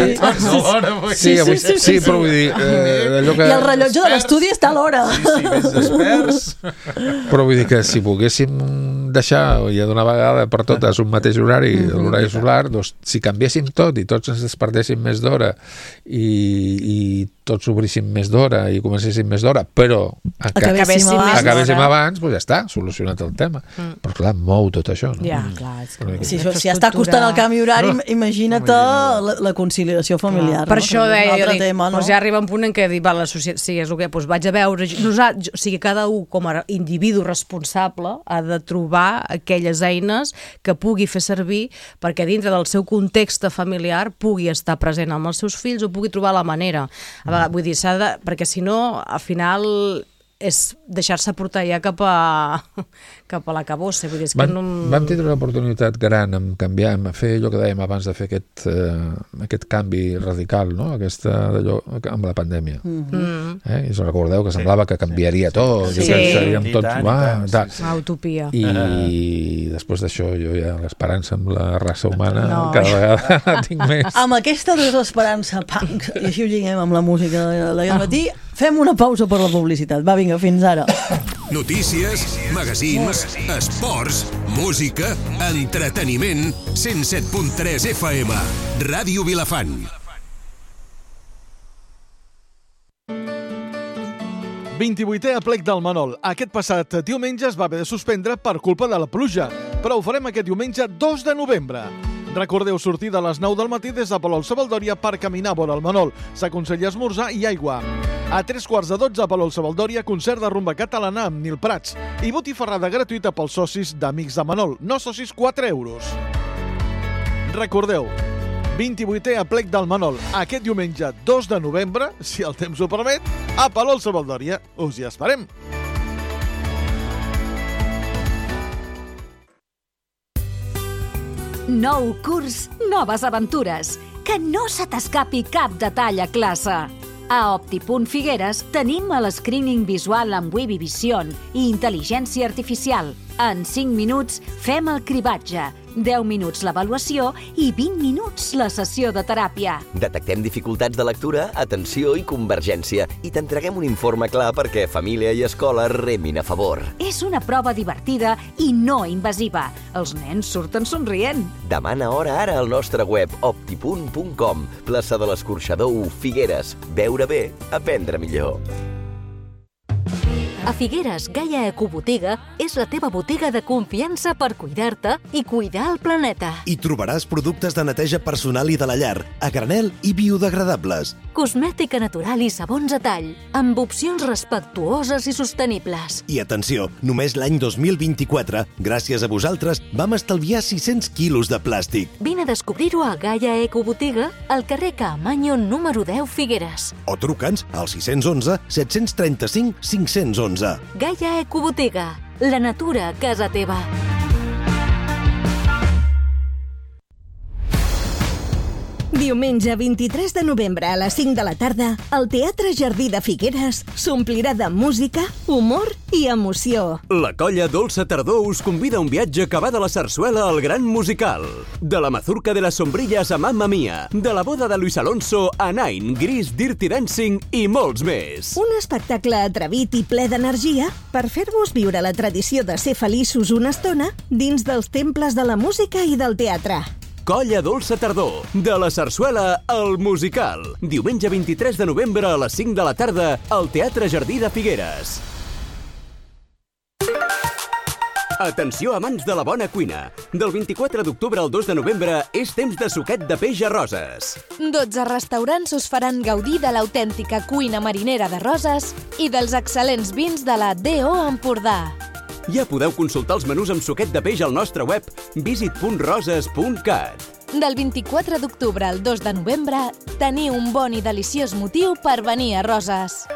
sí, sí, sí, sí, però vull dir... Eh, allò que... I el rellotge de l'estudi està a l'hora. Sí, sí, més experts. Però vull dir que si poguéssim deixar ja d'una vegada per totes un mateix horari, mm-hmm. l'horari solar, doncs si canviéssim tot i tots ens despertéssim més d'hora i, i tots obríssim més d'hora i comencéssim més d'hora, però acabéssim, abans, acabéssim abans, doncs ja està, solucionat el tema. Mm. Però clar, mou tot això, no? Ja, clar. És que... Si, això, si està costant el canvi horari, no. imagina't la, la conciliació familiar. Per no? això que deia, jo dic, tema, no? doncs ja arriba un punt en què dic, va, la societat, sí, és el que, doncs vaig a veure, nosaltres, o sigui, cada un com a individu responsable ha de trobar aquelles eines que pugui fer servir perquè dintre del seu context familiar pugui estar present amb els seus fills o pugui trobar la manera. A vegades, vull dir, s'ha de, perquè si no, al final és deixar-se portar ja cap a, cap a la cabossa. Vull dir, és que vam, no... vam tindre una oportunitat gran en canviar, en fer allò que dèiem abans de fer aquest, eh, aquest canvi radical, no? Aquesta, d'allò, amb la pandèmia. Mm-hmm. eh? I us recordeu que semblava que canviaria tot, sí. i que seríem tots... tant, Va, tant, sí, sí. Utopia. I uh-huh. després d'això jo ja l'esperança amb la raça humana no. cada vegada tinc més. Amb aquesta desesperança punk, i així ho lliguem amb la música de la matí, fem una pausa per la publicitat. Va, vinga, fins ara. Notícies, magazins, esports, música, entreteniment, cent set punt tres F M, Ràdio Vilafant. vint-i-vuitè aplec del Manol. Aquest passat diumenge es va haver de suspendre per culpa de la pluja, però ho farem aquest diumenge dos de novembre. Recordeu sortir de les nou del matí des de Palol-Savaldòria per caminar vora el Manol. S'aconsella esmorzar i aigua. A tres quarts de dotze a Palol-Savaldòria, concert de rumba catalana amb Nil Prats i botifarrada gratuïta pels socis d'Amics de Manol. No socis, quatre euros. Recordeu, vint-i-vuitè aplec del Manol, aquest diumenge dos de novembre, si el temps ho permet, a Palol-Savaldòria. Us hi esperem. Nou curs, noves aventures. Que no se t'escapi cap detall a classe. A Opti.Figueres tenim el screening visual amb Webby Vision i intel·ligència artificial. En cinc minuts fem el cribatge, deu minuts l'avaluació i vint minuts la sessió de teràpia. Detectem dificultats de lectura, atenció i convergència i t'entreguem un informe clar perquè família i escola remin a favor. És una prova divertida i no invasiva. Els nens surten somrient. Demana hora ara al nostre web optipunt punt com. Plaça de l'Escorxador u, Figueres. Veure bé, aprendre millor. A Figueres, Gaia Ecobotiga és la teva botiga de confiança per cuidar-te i cuidar el planeta. Hi trobaràs productes de neteja personal i de la llar, a granel i biodegradables. Cosmètica natural i sabons a tall, amb opcions respectuoses i sostenibles. I atenció, només l'any dos mil vint-i-quatre, gràcies a vosaltres, vam estalviar sis-cents quilos de plàstic. Vine a descobrir-ho a Gaia Ecobotiga, al carrer Caamaño número deu, Figueres. O truca'ns al sis un u, set tres cinc, cinc un u. Gaia Ecobotiga, la natura a casa teva. Diumenge vint-i-tres de novembre a les cinc de la tarda, el Teatre Jardí de Figueres s'omplirà de música, humor i emoció. La colla Dolça Tardor us convida a un viatge que va de la sarsuela al gran musical. De la mazurca de las sombrillas a Mamma Mia, de la boda de Luis Alonso a Nine, Gris, Dirty Dancing i molts més. Un espectacle atrevit i ple d'energia per fer-vos viure la tradició de ser feliços una estona dins dels temples de la música i del teatre. Colla Dolça Tardor, de la sarsuela al musical. Diumenge vint-i-tres de novembre a les cinc de la tarda al Teatre Jardí de Figueres. Atenció amants de la bona cuina. Del vint-i-quatre d'octubre al dos de novembre és temps de suquet de peix a Roses. dotze restaurants us faran gaudir de l'autèntica cuina marinera de Roses i dels excel·lents vins de la D O Empordà. Ja podeu consultar els menús amb suquet de peix al nostre web visit punt roses punt cat. Del vint-i-quatre d'octubre al dos de novembre, teniu un bon i deliciós motiu per venir a Roses.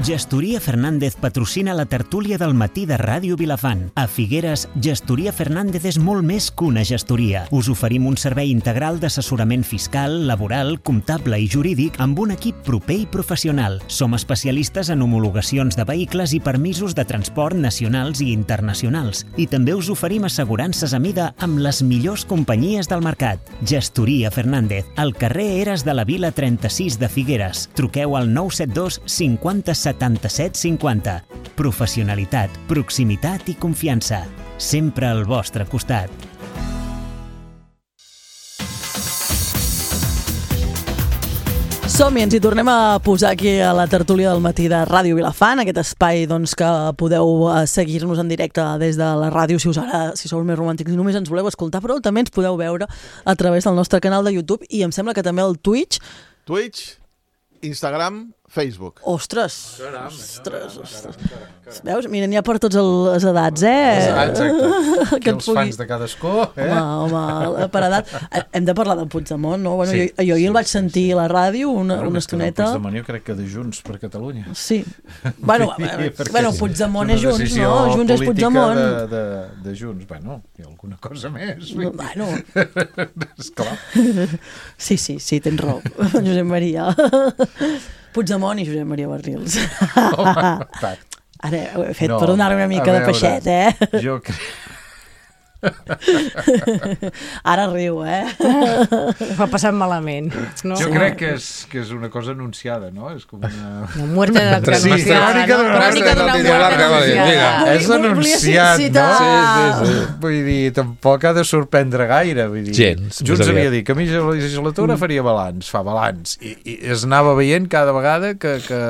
Gestoria Fernández patrocina la tertúlia del matí de Ràdio Vilafant. A Figueres, Gestoria Fernández és molt més que una gestoria. Us oferim un servei integral d'assessorament fiscal, laboral, comptable i jurídic amb un equip proper i professional. Som especialistes en homologacions de vehicles i permisos de transport nacionals i internacionals. I també us oferim assegurances a mida amb les millors companyies del mercat. Gestoria Fernández, al carrer Eres de la Vila trenta-sis de Figueres. Truqueu al nou set dos cinquanta setanta-set cinquanta. Professionalitat, proximitat i confiança. Sempre al vostre costat. Som-hi, ens hi tornem a posar aquí a la tertúlia del matí de Ràdio Vilafant, aquest espai doncs, que podeu seguir-nos en directe des de la ràdio si us ara, si sou més romàntics i només ens voleu escoltar, però també ens podeu veure a través del nostre canal de YouTube i em sembla que també el Twitch. Twitch, Instagram, Facebook. Ostres! Caram, ostres, ostres. Veus? Mira, n'hi ha per totes les edats, eh? Exacte. Que els pugui... fans de cadascú, eh? Home, home, per edat. Hem de parlar de Puigdemont, no? Bueno, sí, jo, jo sí, el vaig sentir a la ràdio una, bueno, una estoneta. Puigdemont jo crec que de Junts per Catalunya. Sí. Bueno, bueno Puigdemont és Junts, no? Junts és Puigdemont. De, de, de Junts. Bueno, hi ha alguna cosa més. Bueno. Esclar. Sí, sí, sí, tens raó. Josep Maria. Puigdemont i Josep Maria Barrils. Ara ho he fet no, per donar una mica veure, de peixet, eh? Jo crec... Ara riu, eh? Va passant malament. No? Jo crec que és, que és una cosa anunciada, no? És com una... Una muerte de la sí, crònica d'una muerte anunciada. És anunciat, no? Sí, sí, sí. Vull dir, tampoc ha de sorprendre gaire. Vull dir, gens. Junts havia dit que a mi la legislatura faria balanç, fa balanç. I, i es anava veient cada vegada que, que,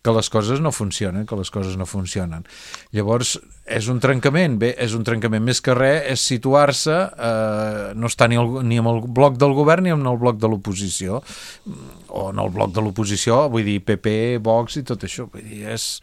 que les coses no funcionen, que les coses no funcionen. Llavors, és un trencament, bé, és un trencament més que res, és situar-se, eh, no està ni, el, ni amb el bloc del govern ni amb el bloc de l'oposició, o en el bloc de l'oposició, vull dir, P P, Vox i tot això, vull dir, és...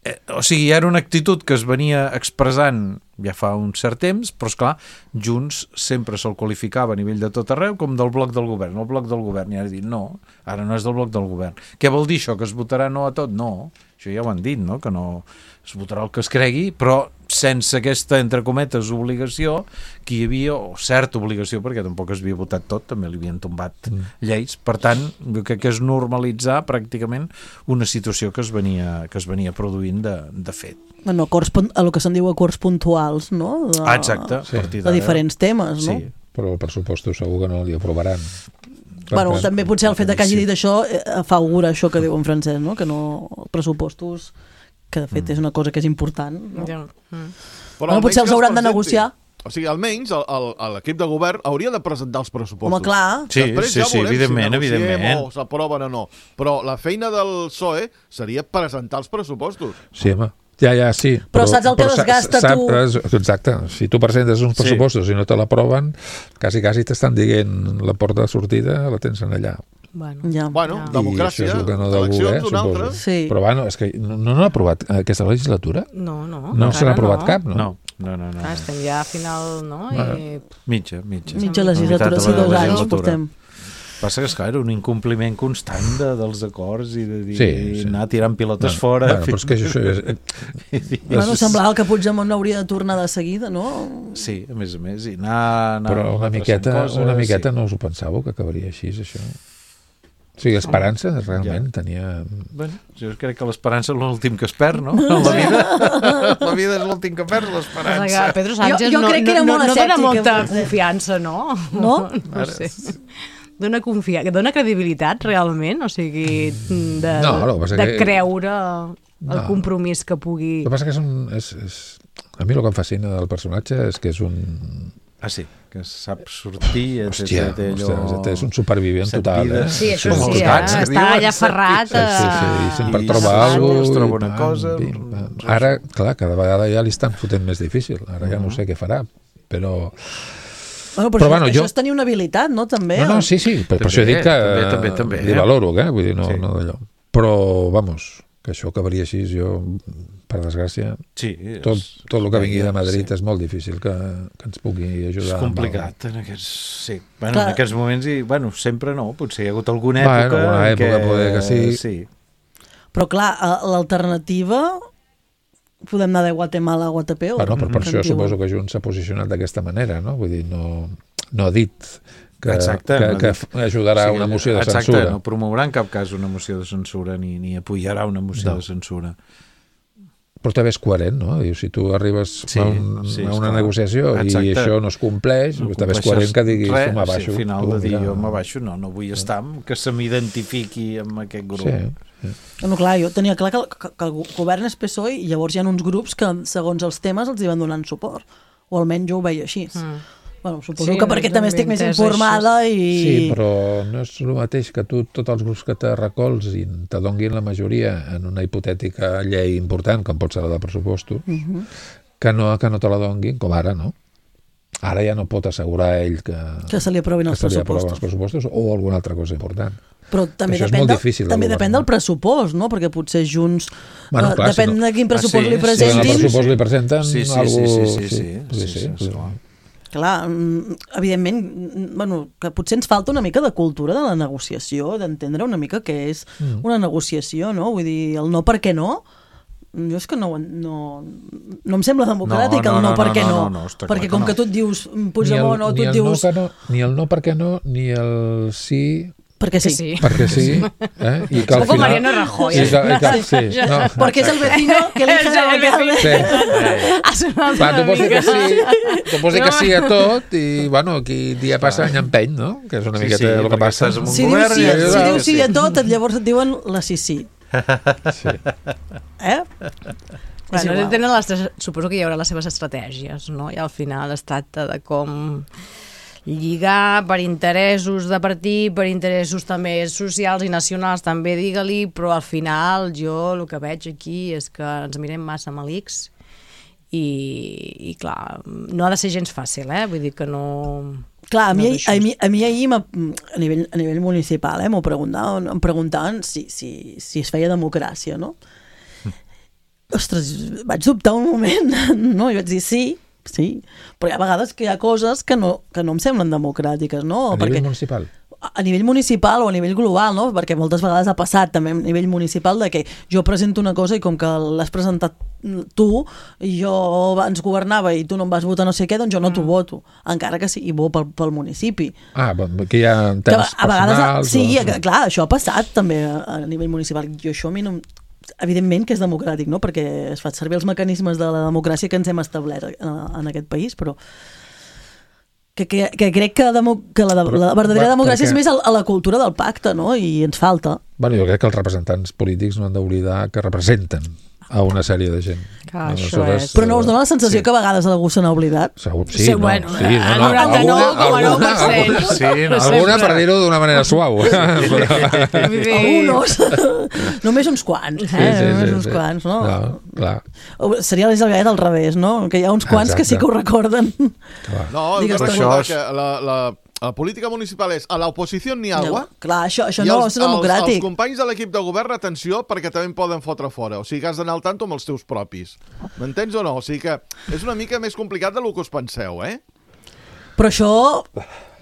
Eh, o sigui, era una actitud que es venia expressant ja fa un cert temps, però esclar, Junts sempre se'l qualificava a nivell de tot arreu com del bloc del govern, el bloc del govern, i ara dit, no, ara no és del bloc del govern. Què vol dir això, que es votarà no a tot? No, això ja ho han dit, no?, que no es votarà el que es cregui, però sense aquesta, entre cometes, obligació, que hi havia, o certa obligació, perquè tampoc es havia votat tot, també li havien tombat mm. lleis, per tant, jo crec que és normalitzar pràcticament una situació que es venia, que es venia produint de, de fet. Bueno, acords, el que se'n diu acords puntuals, no? De, ah, exacte. Sí. De diferents temes, no? Sí, però el pressupostos segur que no li aprovaran. Bueno, per també potser el fet que hagi dit això fa augura això que diu en francès, no? Que no, pressupostos, que de fet mm. és una cosa que és important, no? Ja. Mm. Bueno, potser els hauran de negociar. O sigui, almenys l'equip de govern hauria de presentar els pressupostos. Home, clar. Sí, Després sí, ja sí, evidentment, si evidentment. o s'aproven o no. Però la feina del P S O E seria presentar els pressupostos. Sí, home. Ja, ja, sí. Però, però saps el que però desgasta sap, tu? Exacte. Si tu presentes uns pressupostos sí. i no te l'aproven, quasi, quasi t'estan dient la porta de sortida la tens en allà. Bueno, ja. bueno ja. democràcia, no eleccions, voler, un altre. Sí. Però bueno, és que no, no n'ha aprovat aquesta legislatura? No, no. No se n'ha aprovat no. cap, no? No. No, no, no. Ah, estem ja a final, no? Bueno. I... Mitja, mitja. Mitja legislatura, sí, dos anys portem. Passa que, esclar, era un incompliment constant de, dels acords i de dir, sí, sí. anar tirant pilotes bueno, fora. Bueno, però és que això és... bueno, semblava que Puigdemont hauria de tornar de seguida, no? Sí, a més a més, i anar... anar però una miqueta, coses, una miqueta sí. no us ho pensàveu que acabaria així, això? O sigui, esperança, realment, ja. tenia... Bueno, jo crec que l'esperança és l'últim que es perd, no? En la vida, la vida és l'últim que perds, l'esperança. Pedro Sánchez jo, jo no, crec que era no, molt no, no dona molta que... confiança, no? No? No sé. Dona, confia... dona credibilitat, realment? O sigui, de, no, no, de que... creure el no. compromís que pugui... El que passa que és un... És, és... A mi el que em fascina del personatge és que és un... Ah, sí, que sap sortir... Hòstia, té allò... hòstia, és un supervivent total, eh? Sí, això sí, sí, eh? Està allà ferrat. Sí, sí, sí, i sempre I troba alguna cosa. Troba una cosa... Ara, clar, cada vegada ja li estan fotent més difícil. Ara ja no sé què farà, però... Bueno, però, però això, bueno, jo... això és tenir una habilitat, no? També. No, no, sí, sí, per, per això dic que també, també, també, li valoro, eh? Vull dir, no, sí. no d'allò. Però, vamos, que això acabaria així, jo, per desgràcia, sí, és... tot, tot el que vingui de Madrid sí. és molt difícil que, que ens pugui ajudar. És complicat en aquests, sí. Bueno, en aquests moments, i, bueno, sempre no, potser hi ha hagut alguna època... Bueno, alguna època que... poder que sí. sí. Però clar, l'alternativa... Podem anar de Guatemala a Guatepeu. Bueno, però per això suposo que Junts s'ha posicionat d'aquesta manera, no? Vull dir, no, no ha dit que, exacte, que, no que dit. ajudarà sí, una moció de exacte, censura. No promourà en cap cas una moció de censura ni, ni apoyarà una moció no. de censura. Però també és coherent, no? Diu, si tu arribes sí, a, un, sí, a una negociació exacte. I això no es compleix, no també és coherent que diguis res, jo m'abaixo. Sí, al final de dir jo m'abaixo, no, no vull estar que se m'identifiqui amb aquest grup. Sí. Sí. No, clar, jo tenia clar que, que, que el govern és P S O E i llavors hi ha uns grups que segons els temes els hi van donant suport, o almenys jo ho veia així. Mm. Bueno, suposo sí, que perquè també estic més informada i... Sí, però no és el mateix que tu, tots els grups que te recolzin, te donguin la majoria en una hipotètica llei important, com pot ser la de pressupostos, uh -huh. que, no, que no te la donguin, com ara, no? Ara ja no pot assegurar ell que, que se li aprovin els, els pressupostos o alguna altra cosa important. Però també això depèn, és molt de, difícil també de depèn del pressupost, no? Perquè potser Junts... Bueno, clar, uh, depèn si no... de quin pressupost ah, sí? li presentin... Si en el pressupost li presenten sí, sí, algú... Sí, sí, sí, sí, sí, sí, sí, sí, sí. Clar, evidentment, bueno, que potser ens falta una mica de cultura de la negociació, d'entendre una mica què és mm. una negociació, no? Vull dir, el no perquè no... Jo és que no, no, no em sembla democràtic no, no, el no, no perquè no, no, no, no perquè com no. que tu et dius Puigdemont o tu et dius... No, no, ni el no perquè no, ni el sí... Perquè sí. sí. Perquè sí. Eh? I que al com final... Mariano Rajoy. I que, i que, sí, no. Perquè és el vecino que elige l'alcalde. Sí. Clar, tu pots dir que sí, tu pots dir que sí a tot i, bueno, aquí dia passa any empeny, no? Que és una sí, miqueta sí, el que passa. Si dius sí, si dius sí a tot, llavors et diuen la sí sí. Sí. Eh? Bueno, tenen les, suposo que hi haurà les seves estratègies, no? I al final es tracta de com lligar per interessos de partit, per interessos també socials i nacionals, també digue-li, però al final jo el que veig aquí és que ens mirem massa malics i, i clar, no ha de ser gens fàcil, eh? Vull dir que no... Clar, a mi, no a mi, a mi ahir a nivell, a nivell municipal eh, m'ho preguntaven, em preguntaven si, si, si es feia democràcia, no? Ostres, vaig dubtar un moment, no? Jo vaig dir sí, sí, però hi ha vegades que hi ha coses que no, que no em semblen democràtiques, no? A Perquè, nivell municipal? a nivell municipal o a nivell global, no? Perquè moltes vegades ha passat també a nivell municipal de que jo presento una cosa i com que l'has presentat tu i jo abans governava i tu no em vas votar no sé què, doncs jo no t'ho voto, encara que sigui bo pel, pel municipi. Ah, que hi ha temes que a vegades, personals... sí, o... clar, això ha passat també a nivell municipal. Jo això a mi no... Evidentment que és democràtic, no? Perquè es fa servir els mecanismes de la democràcia que ens hem establert en aquest país, però que, que, que crec que, demo, que la, però, la verdadera va, democràcia perquè... és més a, a la cultura del pacte, no? I ens falta. Bueno, jo crec que els representants polítics no han d'oblidar que representen a una sèrie de gent. Ah, és... Però no us dona la sensació sí. que a vegades algú se n'ha oblidat? Segur, sí, sí, no, bueno, sí, no, no, noranta-nou coma nou per cent. Alguna, sí, no, alguna per dir-ho d'una manera suau. Alguns. Només uns quants, eh? Sí, sí, Només sí, uns sí. quants, no? no clar. Seria l'Elisabet al revés, no? Que hi ha uns quants Exacte. que sí que ho recorden. Clar. No, Digues, que això és... que la, la, la política municipal és a l'oposició ni agua. No, clar, això, això no és democràtic. Els, els companys de l'equip de govern, atenció, perquè també en poden fotre fora. O sigui que has d'anar al tanto amb els teus propis. M'entens o no? O sigui que és una mica més complicat del que us penseu, eh? Però això...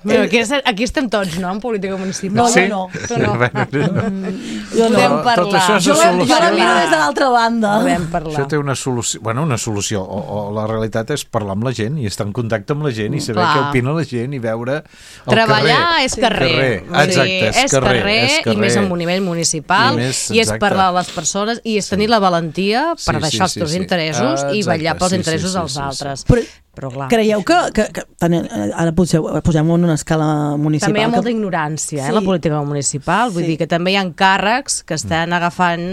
Però aquí, aquí estem tots, no?, en política municipal. No, sí? no. Tu no. Mm, jo no. Podem parlar. Tot això jo, jo la miro des de l'altra banda. Podem parlar. Això té una solució, bueno, una solució, o, o la realitat és parlar amb la gent i estar en contacte amb la gent i saber Clar. què opina la gent i veure el Treballar carrer. és carrer. carrer. Exacte, sí, és, és, carrer, carrer, és carrer. I més en un nivell municipal, i, més, i és parlar a les persones, i és tenir sí. la valentia per sí, deixar sí, els teus sí, interessos sí. i vetllar pels sí, interessos sí, dels sí, altres. Sí, sí. Però, però clar. Creieu que, que, que ara potser posem en una escala municipal... També hi ha molta que... ignorància, eh, sí. la política municipal. Vull sí. dir que també hi ha càrrecs que estan mm. agafant,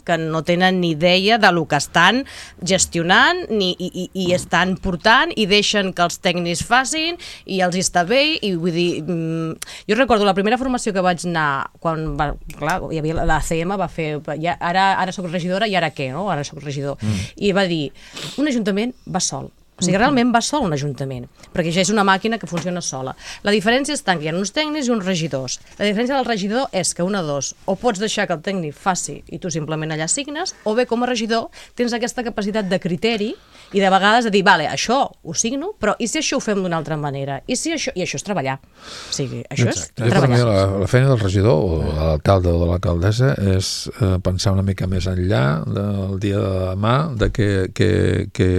que no tenen ni idea de lo que estan gestionant ni, i, i, i estan portant i deixen que els tècnics facin i els hi està bé. I vull dir, jo recordo la primera formació que vaig anar quan va, clar, hi havia la C M va fer, ja, ara, ara soc regidora i ara què, no? Ara soc regidor. Mm. I va dir, un ajuntament va sol. O sigui, realment va sol un ajuntament, perquè ja és una màquina que funciona sola. La diferència està que hi ha uns tècnics i uns regidors. La diferència del regidor és que una dos, o pots deixar que el tècnic faci i tu simplement allà signes, o bé com a regidor tens aquesta capacitat de criteri i de vegades de dir, vale, això ho signo, però i si això ho fem d'una altra manera? I si això... I això és treballar. O sigui, això Exacte. és treballar. La, la feina del regidor o de l'alcalde o de l'alcaldessa és eh, pensar una mica més enllà del dia de demà, de que, que, que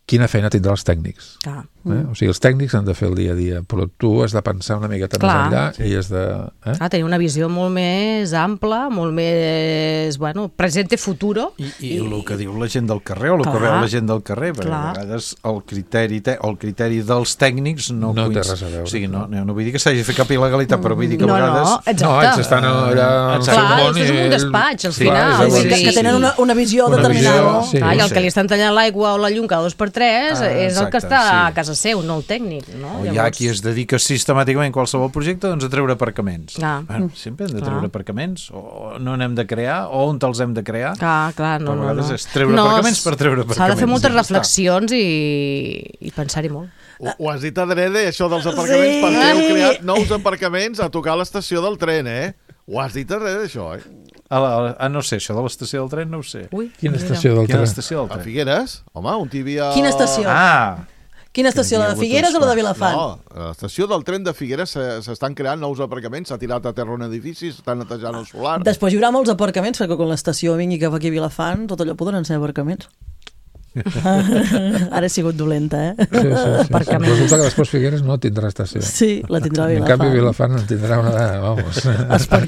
quina feina tindrà els tècnics. Ah. Eh? O sigui, els tècnics han de fer el dia a dia, però tu has de pensar una miqueta Clar, més enllà sí. i has de... Eh? Ah, tenir una visió molt més ampla, molt més, bueno, presente futuro. I, i, i el que diu la gent del carrer, o el Clar. que veu la gent del carrer, perquè Clar. a vegades el criteri, te, el criteri dels tècnics no, no coinc... té res a veure. O sigui, no, no, no vull dir que s'hagi fet cap il·legalitat, però vull dir que a no, vegades... No, exacte. No, ells estan allà al seu Clar, món i... és un despatx, al sí, final. Clar, sí, que, sí, que tenen una, una visió una determinada. Visió, sí, Clar, I el sí. que li estan tallant l'aigua o la llum cada dos per tres ah, és el que està sí. a casa seu, no el tècnic. No? O hi ha qui es dedica sistemàticament a qualsevol projecte doncs, a treure aparcaments. Ah. Bueno, sempre hem de treure Clar. aparcaments, o no n'hem de crear, o on te'ls hem de crear. Clar, clar, no, Però a vegades no, no. és treure no, aparcaments per treure aparcaments. S'ha de fer moltes ja reflexions i, i pensar-hi molt. Ho, ho has dit adrede, això dels aparcaments, sí. perquè heu creat nous aparcaments a tocar l'estació del tren, eh? Ho has dit adrede, això, eh? Ah, la, ah, no sé, això de l'estació del tren no ho sé. Ui, Quina mira. estació del tren? Quina estació del tren? A Figueres? Home, on hi havia... Quina estació? Ah! Quina estació, la de Figueres o la de Vilafant? No, a l'estació del tren de Figueres s'estan creant nous aparcaments, s'ha tirat a terra un edifici, s'estan netejant el solar... Després hi haurà molts aparcaments, perquè quan l'estació vingui cap aquí a Vilafant, tot allò podran ser aparcaments. Ara he sigut dolenta, eh? Sí, sí, sí. Resulta que després Figueres no tindrà estació. Sí, la tindrà Vilafant. En canvi, Vilafant en tindrà una de... Vamos.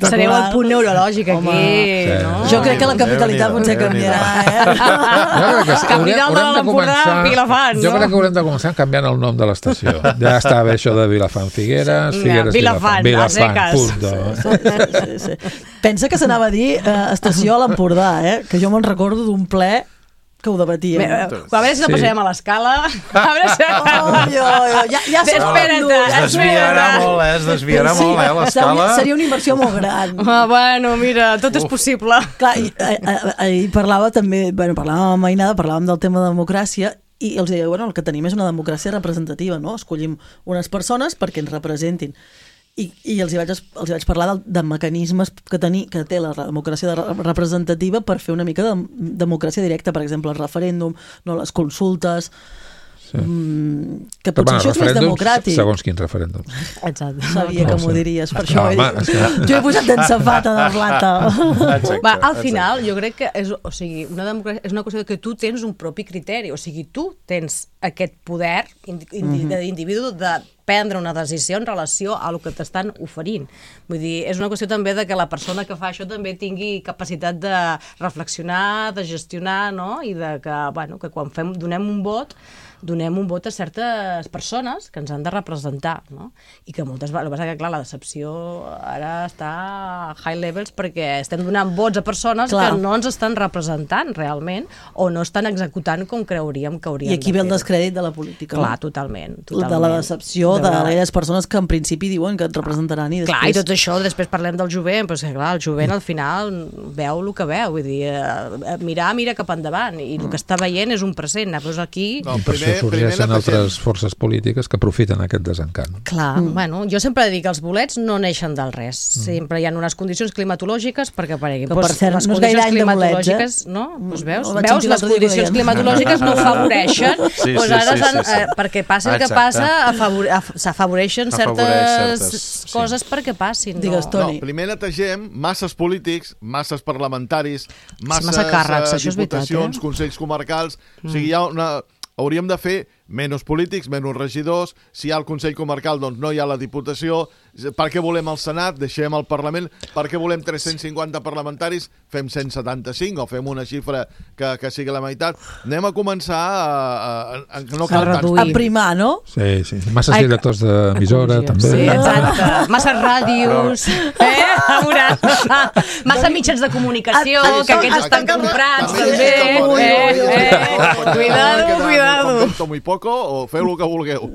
Sereu el punt neurològic aquí, sí. no? Jo crec que la capitalitat potser canviarà, eh? Jo crec que sí. Capital de l'Empordà, Vilafant, no? Jo crec que haurem de començar canviant el nom de l'estació. Ja està bé això de Vilafant Figueres, Figueres Vilafant. Vilafant, punt. Sí, sí, sí. Pensa que s'anava a dir eh, estació a l'Empordà, eh? Que jo me'n recordo d'un ple que ho debatíem. A veure si no passarem a l'escala. A veure si... Oh, jo, jo, ja, ja som espera't, es desviarà molt, eh? Es desviarà sí, molt, eh, l'escala. Seria una inversió molt gran. Ah, bueno, mira, tot Uf. és possible. Clar, ahir parlava també, bueno, parlàvem amb Mainada, parlàvem del tema de democràcia, i els deia, bueno, el que tenim és una democràcia representativa, no? Escollim unes persones perquè ens representin. I, i els, hi vaig, els hi vaig parlar de, de mecanismes que, teni, que té la democràcia representativa per fer una mica de democràcia directa, per exemple, el referèndum, no, les consultes... sí. mm, que potser això és més democràtic. Segons quins referèndums. Exacte. Sabia no, que m'ho diries, per això no, home, he dit. Jo he posat en safata de plata. Exacte, Va, al final, exacte. Jo crec que és, o sigui, una democràcia és una qüestió que tu tens un propi criteri, o sigui, tu tens aquest poder indi mm-hmm. d'individu de prendre una decisió en relació a el que t'estan oferint. Vull dir, és una qüestió també de que la persona que fa això també tingui capacitat de reflexionar, de gestionar, no? I de que, bueno, que quan fem, donem un vot, donem un vot a certes persones que ens han de representar, no? I que moltes vegades, el que passa que, clar, la decepció ara està a high levels perquè estem donant vots a persones clar. Que no ens estan representant realment o no estan executant com creuríem que haurien de fer. I aquí ve el descrèdit de la política. Clar, totalment. totalment. De la decepció de aquelles persones que en principi diuen que et representaran i després... Clar, i tot això, després parlem del jovent, però és que, clar, el jovent al final veu el que veu, vull dir, eh, mirar, mira cap endavant, i el que està veient és un present, però aquí... No, primer, sorgeixen altres forces polítiques que aprofiten aquest desencant. Clar, mm. bueno, jo sempre dic que els bolets no neixen del res, mm. sempre hi ha unes condicions climatològiques perquè apareguin. Que per pues, cert, les no és condicions gaire climatològiques, bolets, eh? no? Pues veus, no, veus les condicions climatològiques no afavoreixen, sí, pues ara sí, sí, sí, sí. Eh, perquè passi el que passa, s'afavoreixen certes, certes coses sí. perquè passin. Digues, no. no, primer netegem masses polítics, masses parlamentaris, masses massa càrrecs, uh, diputacions, eh? Consells comarcals, mm. o sigui, hi ha una... Hauríem de fer menys polítics, menys regidors, si hi ha el Consell Comarcal doncs no hi ha la Diputació, per què volem el Senat, deixem el Parlament, per què volem tres-cents cinquanta parlamentaris, fem cent setanta-cinc o fem una xifra que, que sigui la meitat, anem a començar a, a, a, a no cal tants. A primar, no? Sí, sí, masses Ai, directors d'emissora també. Sí, exacte, masses ràdios, eh? Massa mitjans de comunicació, a, que aquests estan comprats també, eh? eh? Cuidado, cuidado. Com muy poco o feu el que vulgueu.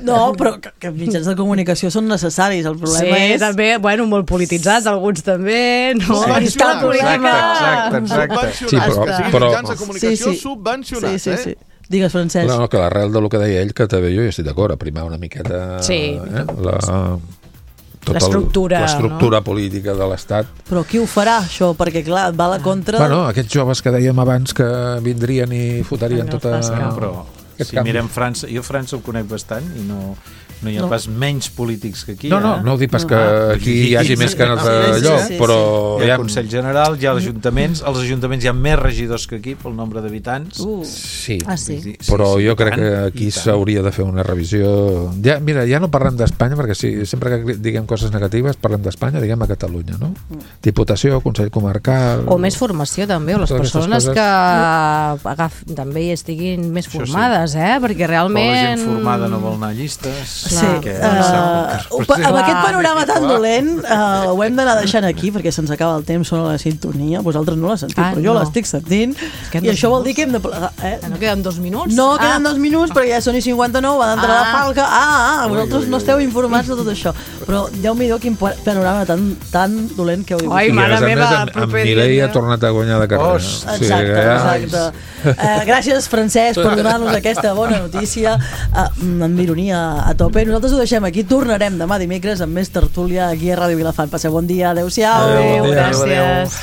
No, però que, que mitjans de comunicació són necessaris. El problema sí, és... també, bueno, molt polititzats, alguns també, no? Subvencionats. Exacte, exacte. Sí, però, però... mitjans de comunicació sí, sí. subvencionats, sí, sí, sí. eh? Digues, Francesc. No, no, que l'arrel del que deia ell, que també jo hi estic d'acord, a primar una miqueta sí. eh, la... Tota l'estructura l'estructura no? política de l'Estat. Però qui ho farà, això? Perquè, clar, va a la contra... Bueno, aquests joves que dèiem abans que vindrien i fotarien no, tota... No, però si canvi. Mirem França, jo França ho conec bastant i no... No hi ha no. pas menys polítics que aquí. No, no, no ho dic pas que aquí hi hagi més que en el lloc, sí, sí, però... Hi ha el Consell General, hi ha els ajuntaments, als ajuntaments hi ha més regidors que aquí pel nombre d'habitants. Uh. Sí, ah, sí. sí, però sí, jo crec tant, que aquí s'hauria de fer una revisió... Ja, mira, ja no parlem d'Espanya, perquè si, sempre que diguem coses negatives parlem d'Espanya, diguem a Catalunya, no? Diputació, Consell Comarcal... O més formació també, o les persones coses... que agaf, també estiguin més formades, sí. eh? Perquè realment... O la gent formada no vol anar a llistes... Sí, que, uh, uh, amb aquest panorama tan dolent uh, ho hem d'anar deixant aquí perquè se'ns acaba el temps, sona la sintonia, vosaltres no la sentiu, ah, però jo no. l'estic sentint i això vol dir que hem de plegar. Eh? No queden dos minuts? No, ah. queden dos minuts perquè ja són i cinquanta-nou, va d'entrar ah. la falca. Ah, ah, vosaltres ui, ui, ui. no esteu informats de tot això. Però Déu-m'hi-do quin panorama tan, tan dolent que heu vist. Ai, mare meva, en Mireia ha tornat a guanyar de carrera. Oh, exacte, exacte. Uh, gràcies, Francesc, per donar-nos aquesta bona notícia uh, amb ironia a tope. Nosaltres ho deixem aquí, tornarem demà dimecres amb més tertúlia aquí a Ràdio Vilafant. Passeu bon dia, adeu-siau. Adéu, adéu, gràcies.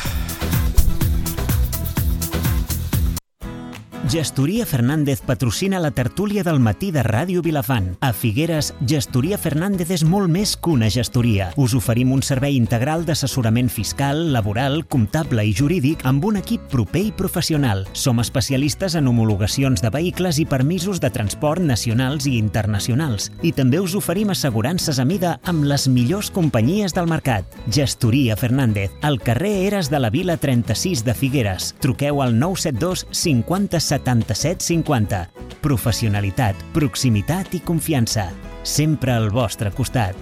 Gestoria Fernández patrocina la tertúlia del matí de Ràdio Vilafant. A Figueres, Gestoria Fernández és molt més que una gestoria. Us oferim un servei integral d'assessorament fiscal, laboral, comptable i jurídic amb un equip proper i professional. Som especialistes en homologacions de vehicles i permisos de transport nacionals i internacionals. I també us oferim assegurances a mida amb les millors companyies del mercat. Gestoria Fernández, al carrer Eres de la Vila trenta-sis de Figueres. Truqueu al nou set dos cinquanta setanta-set cinquanta. Professionalitat, proximitat i confiança. Sempre al vostre costat.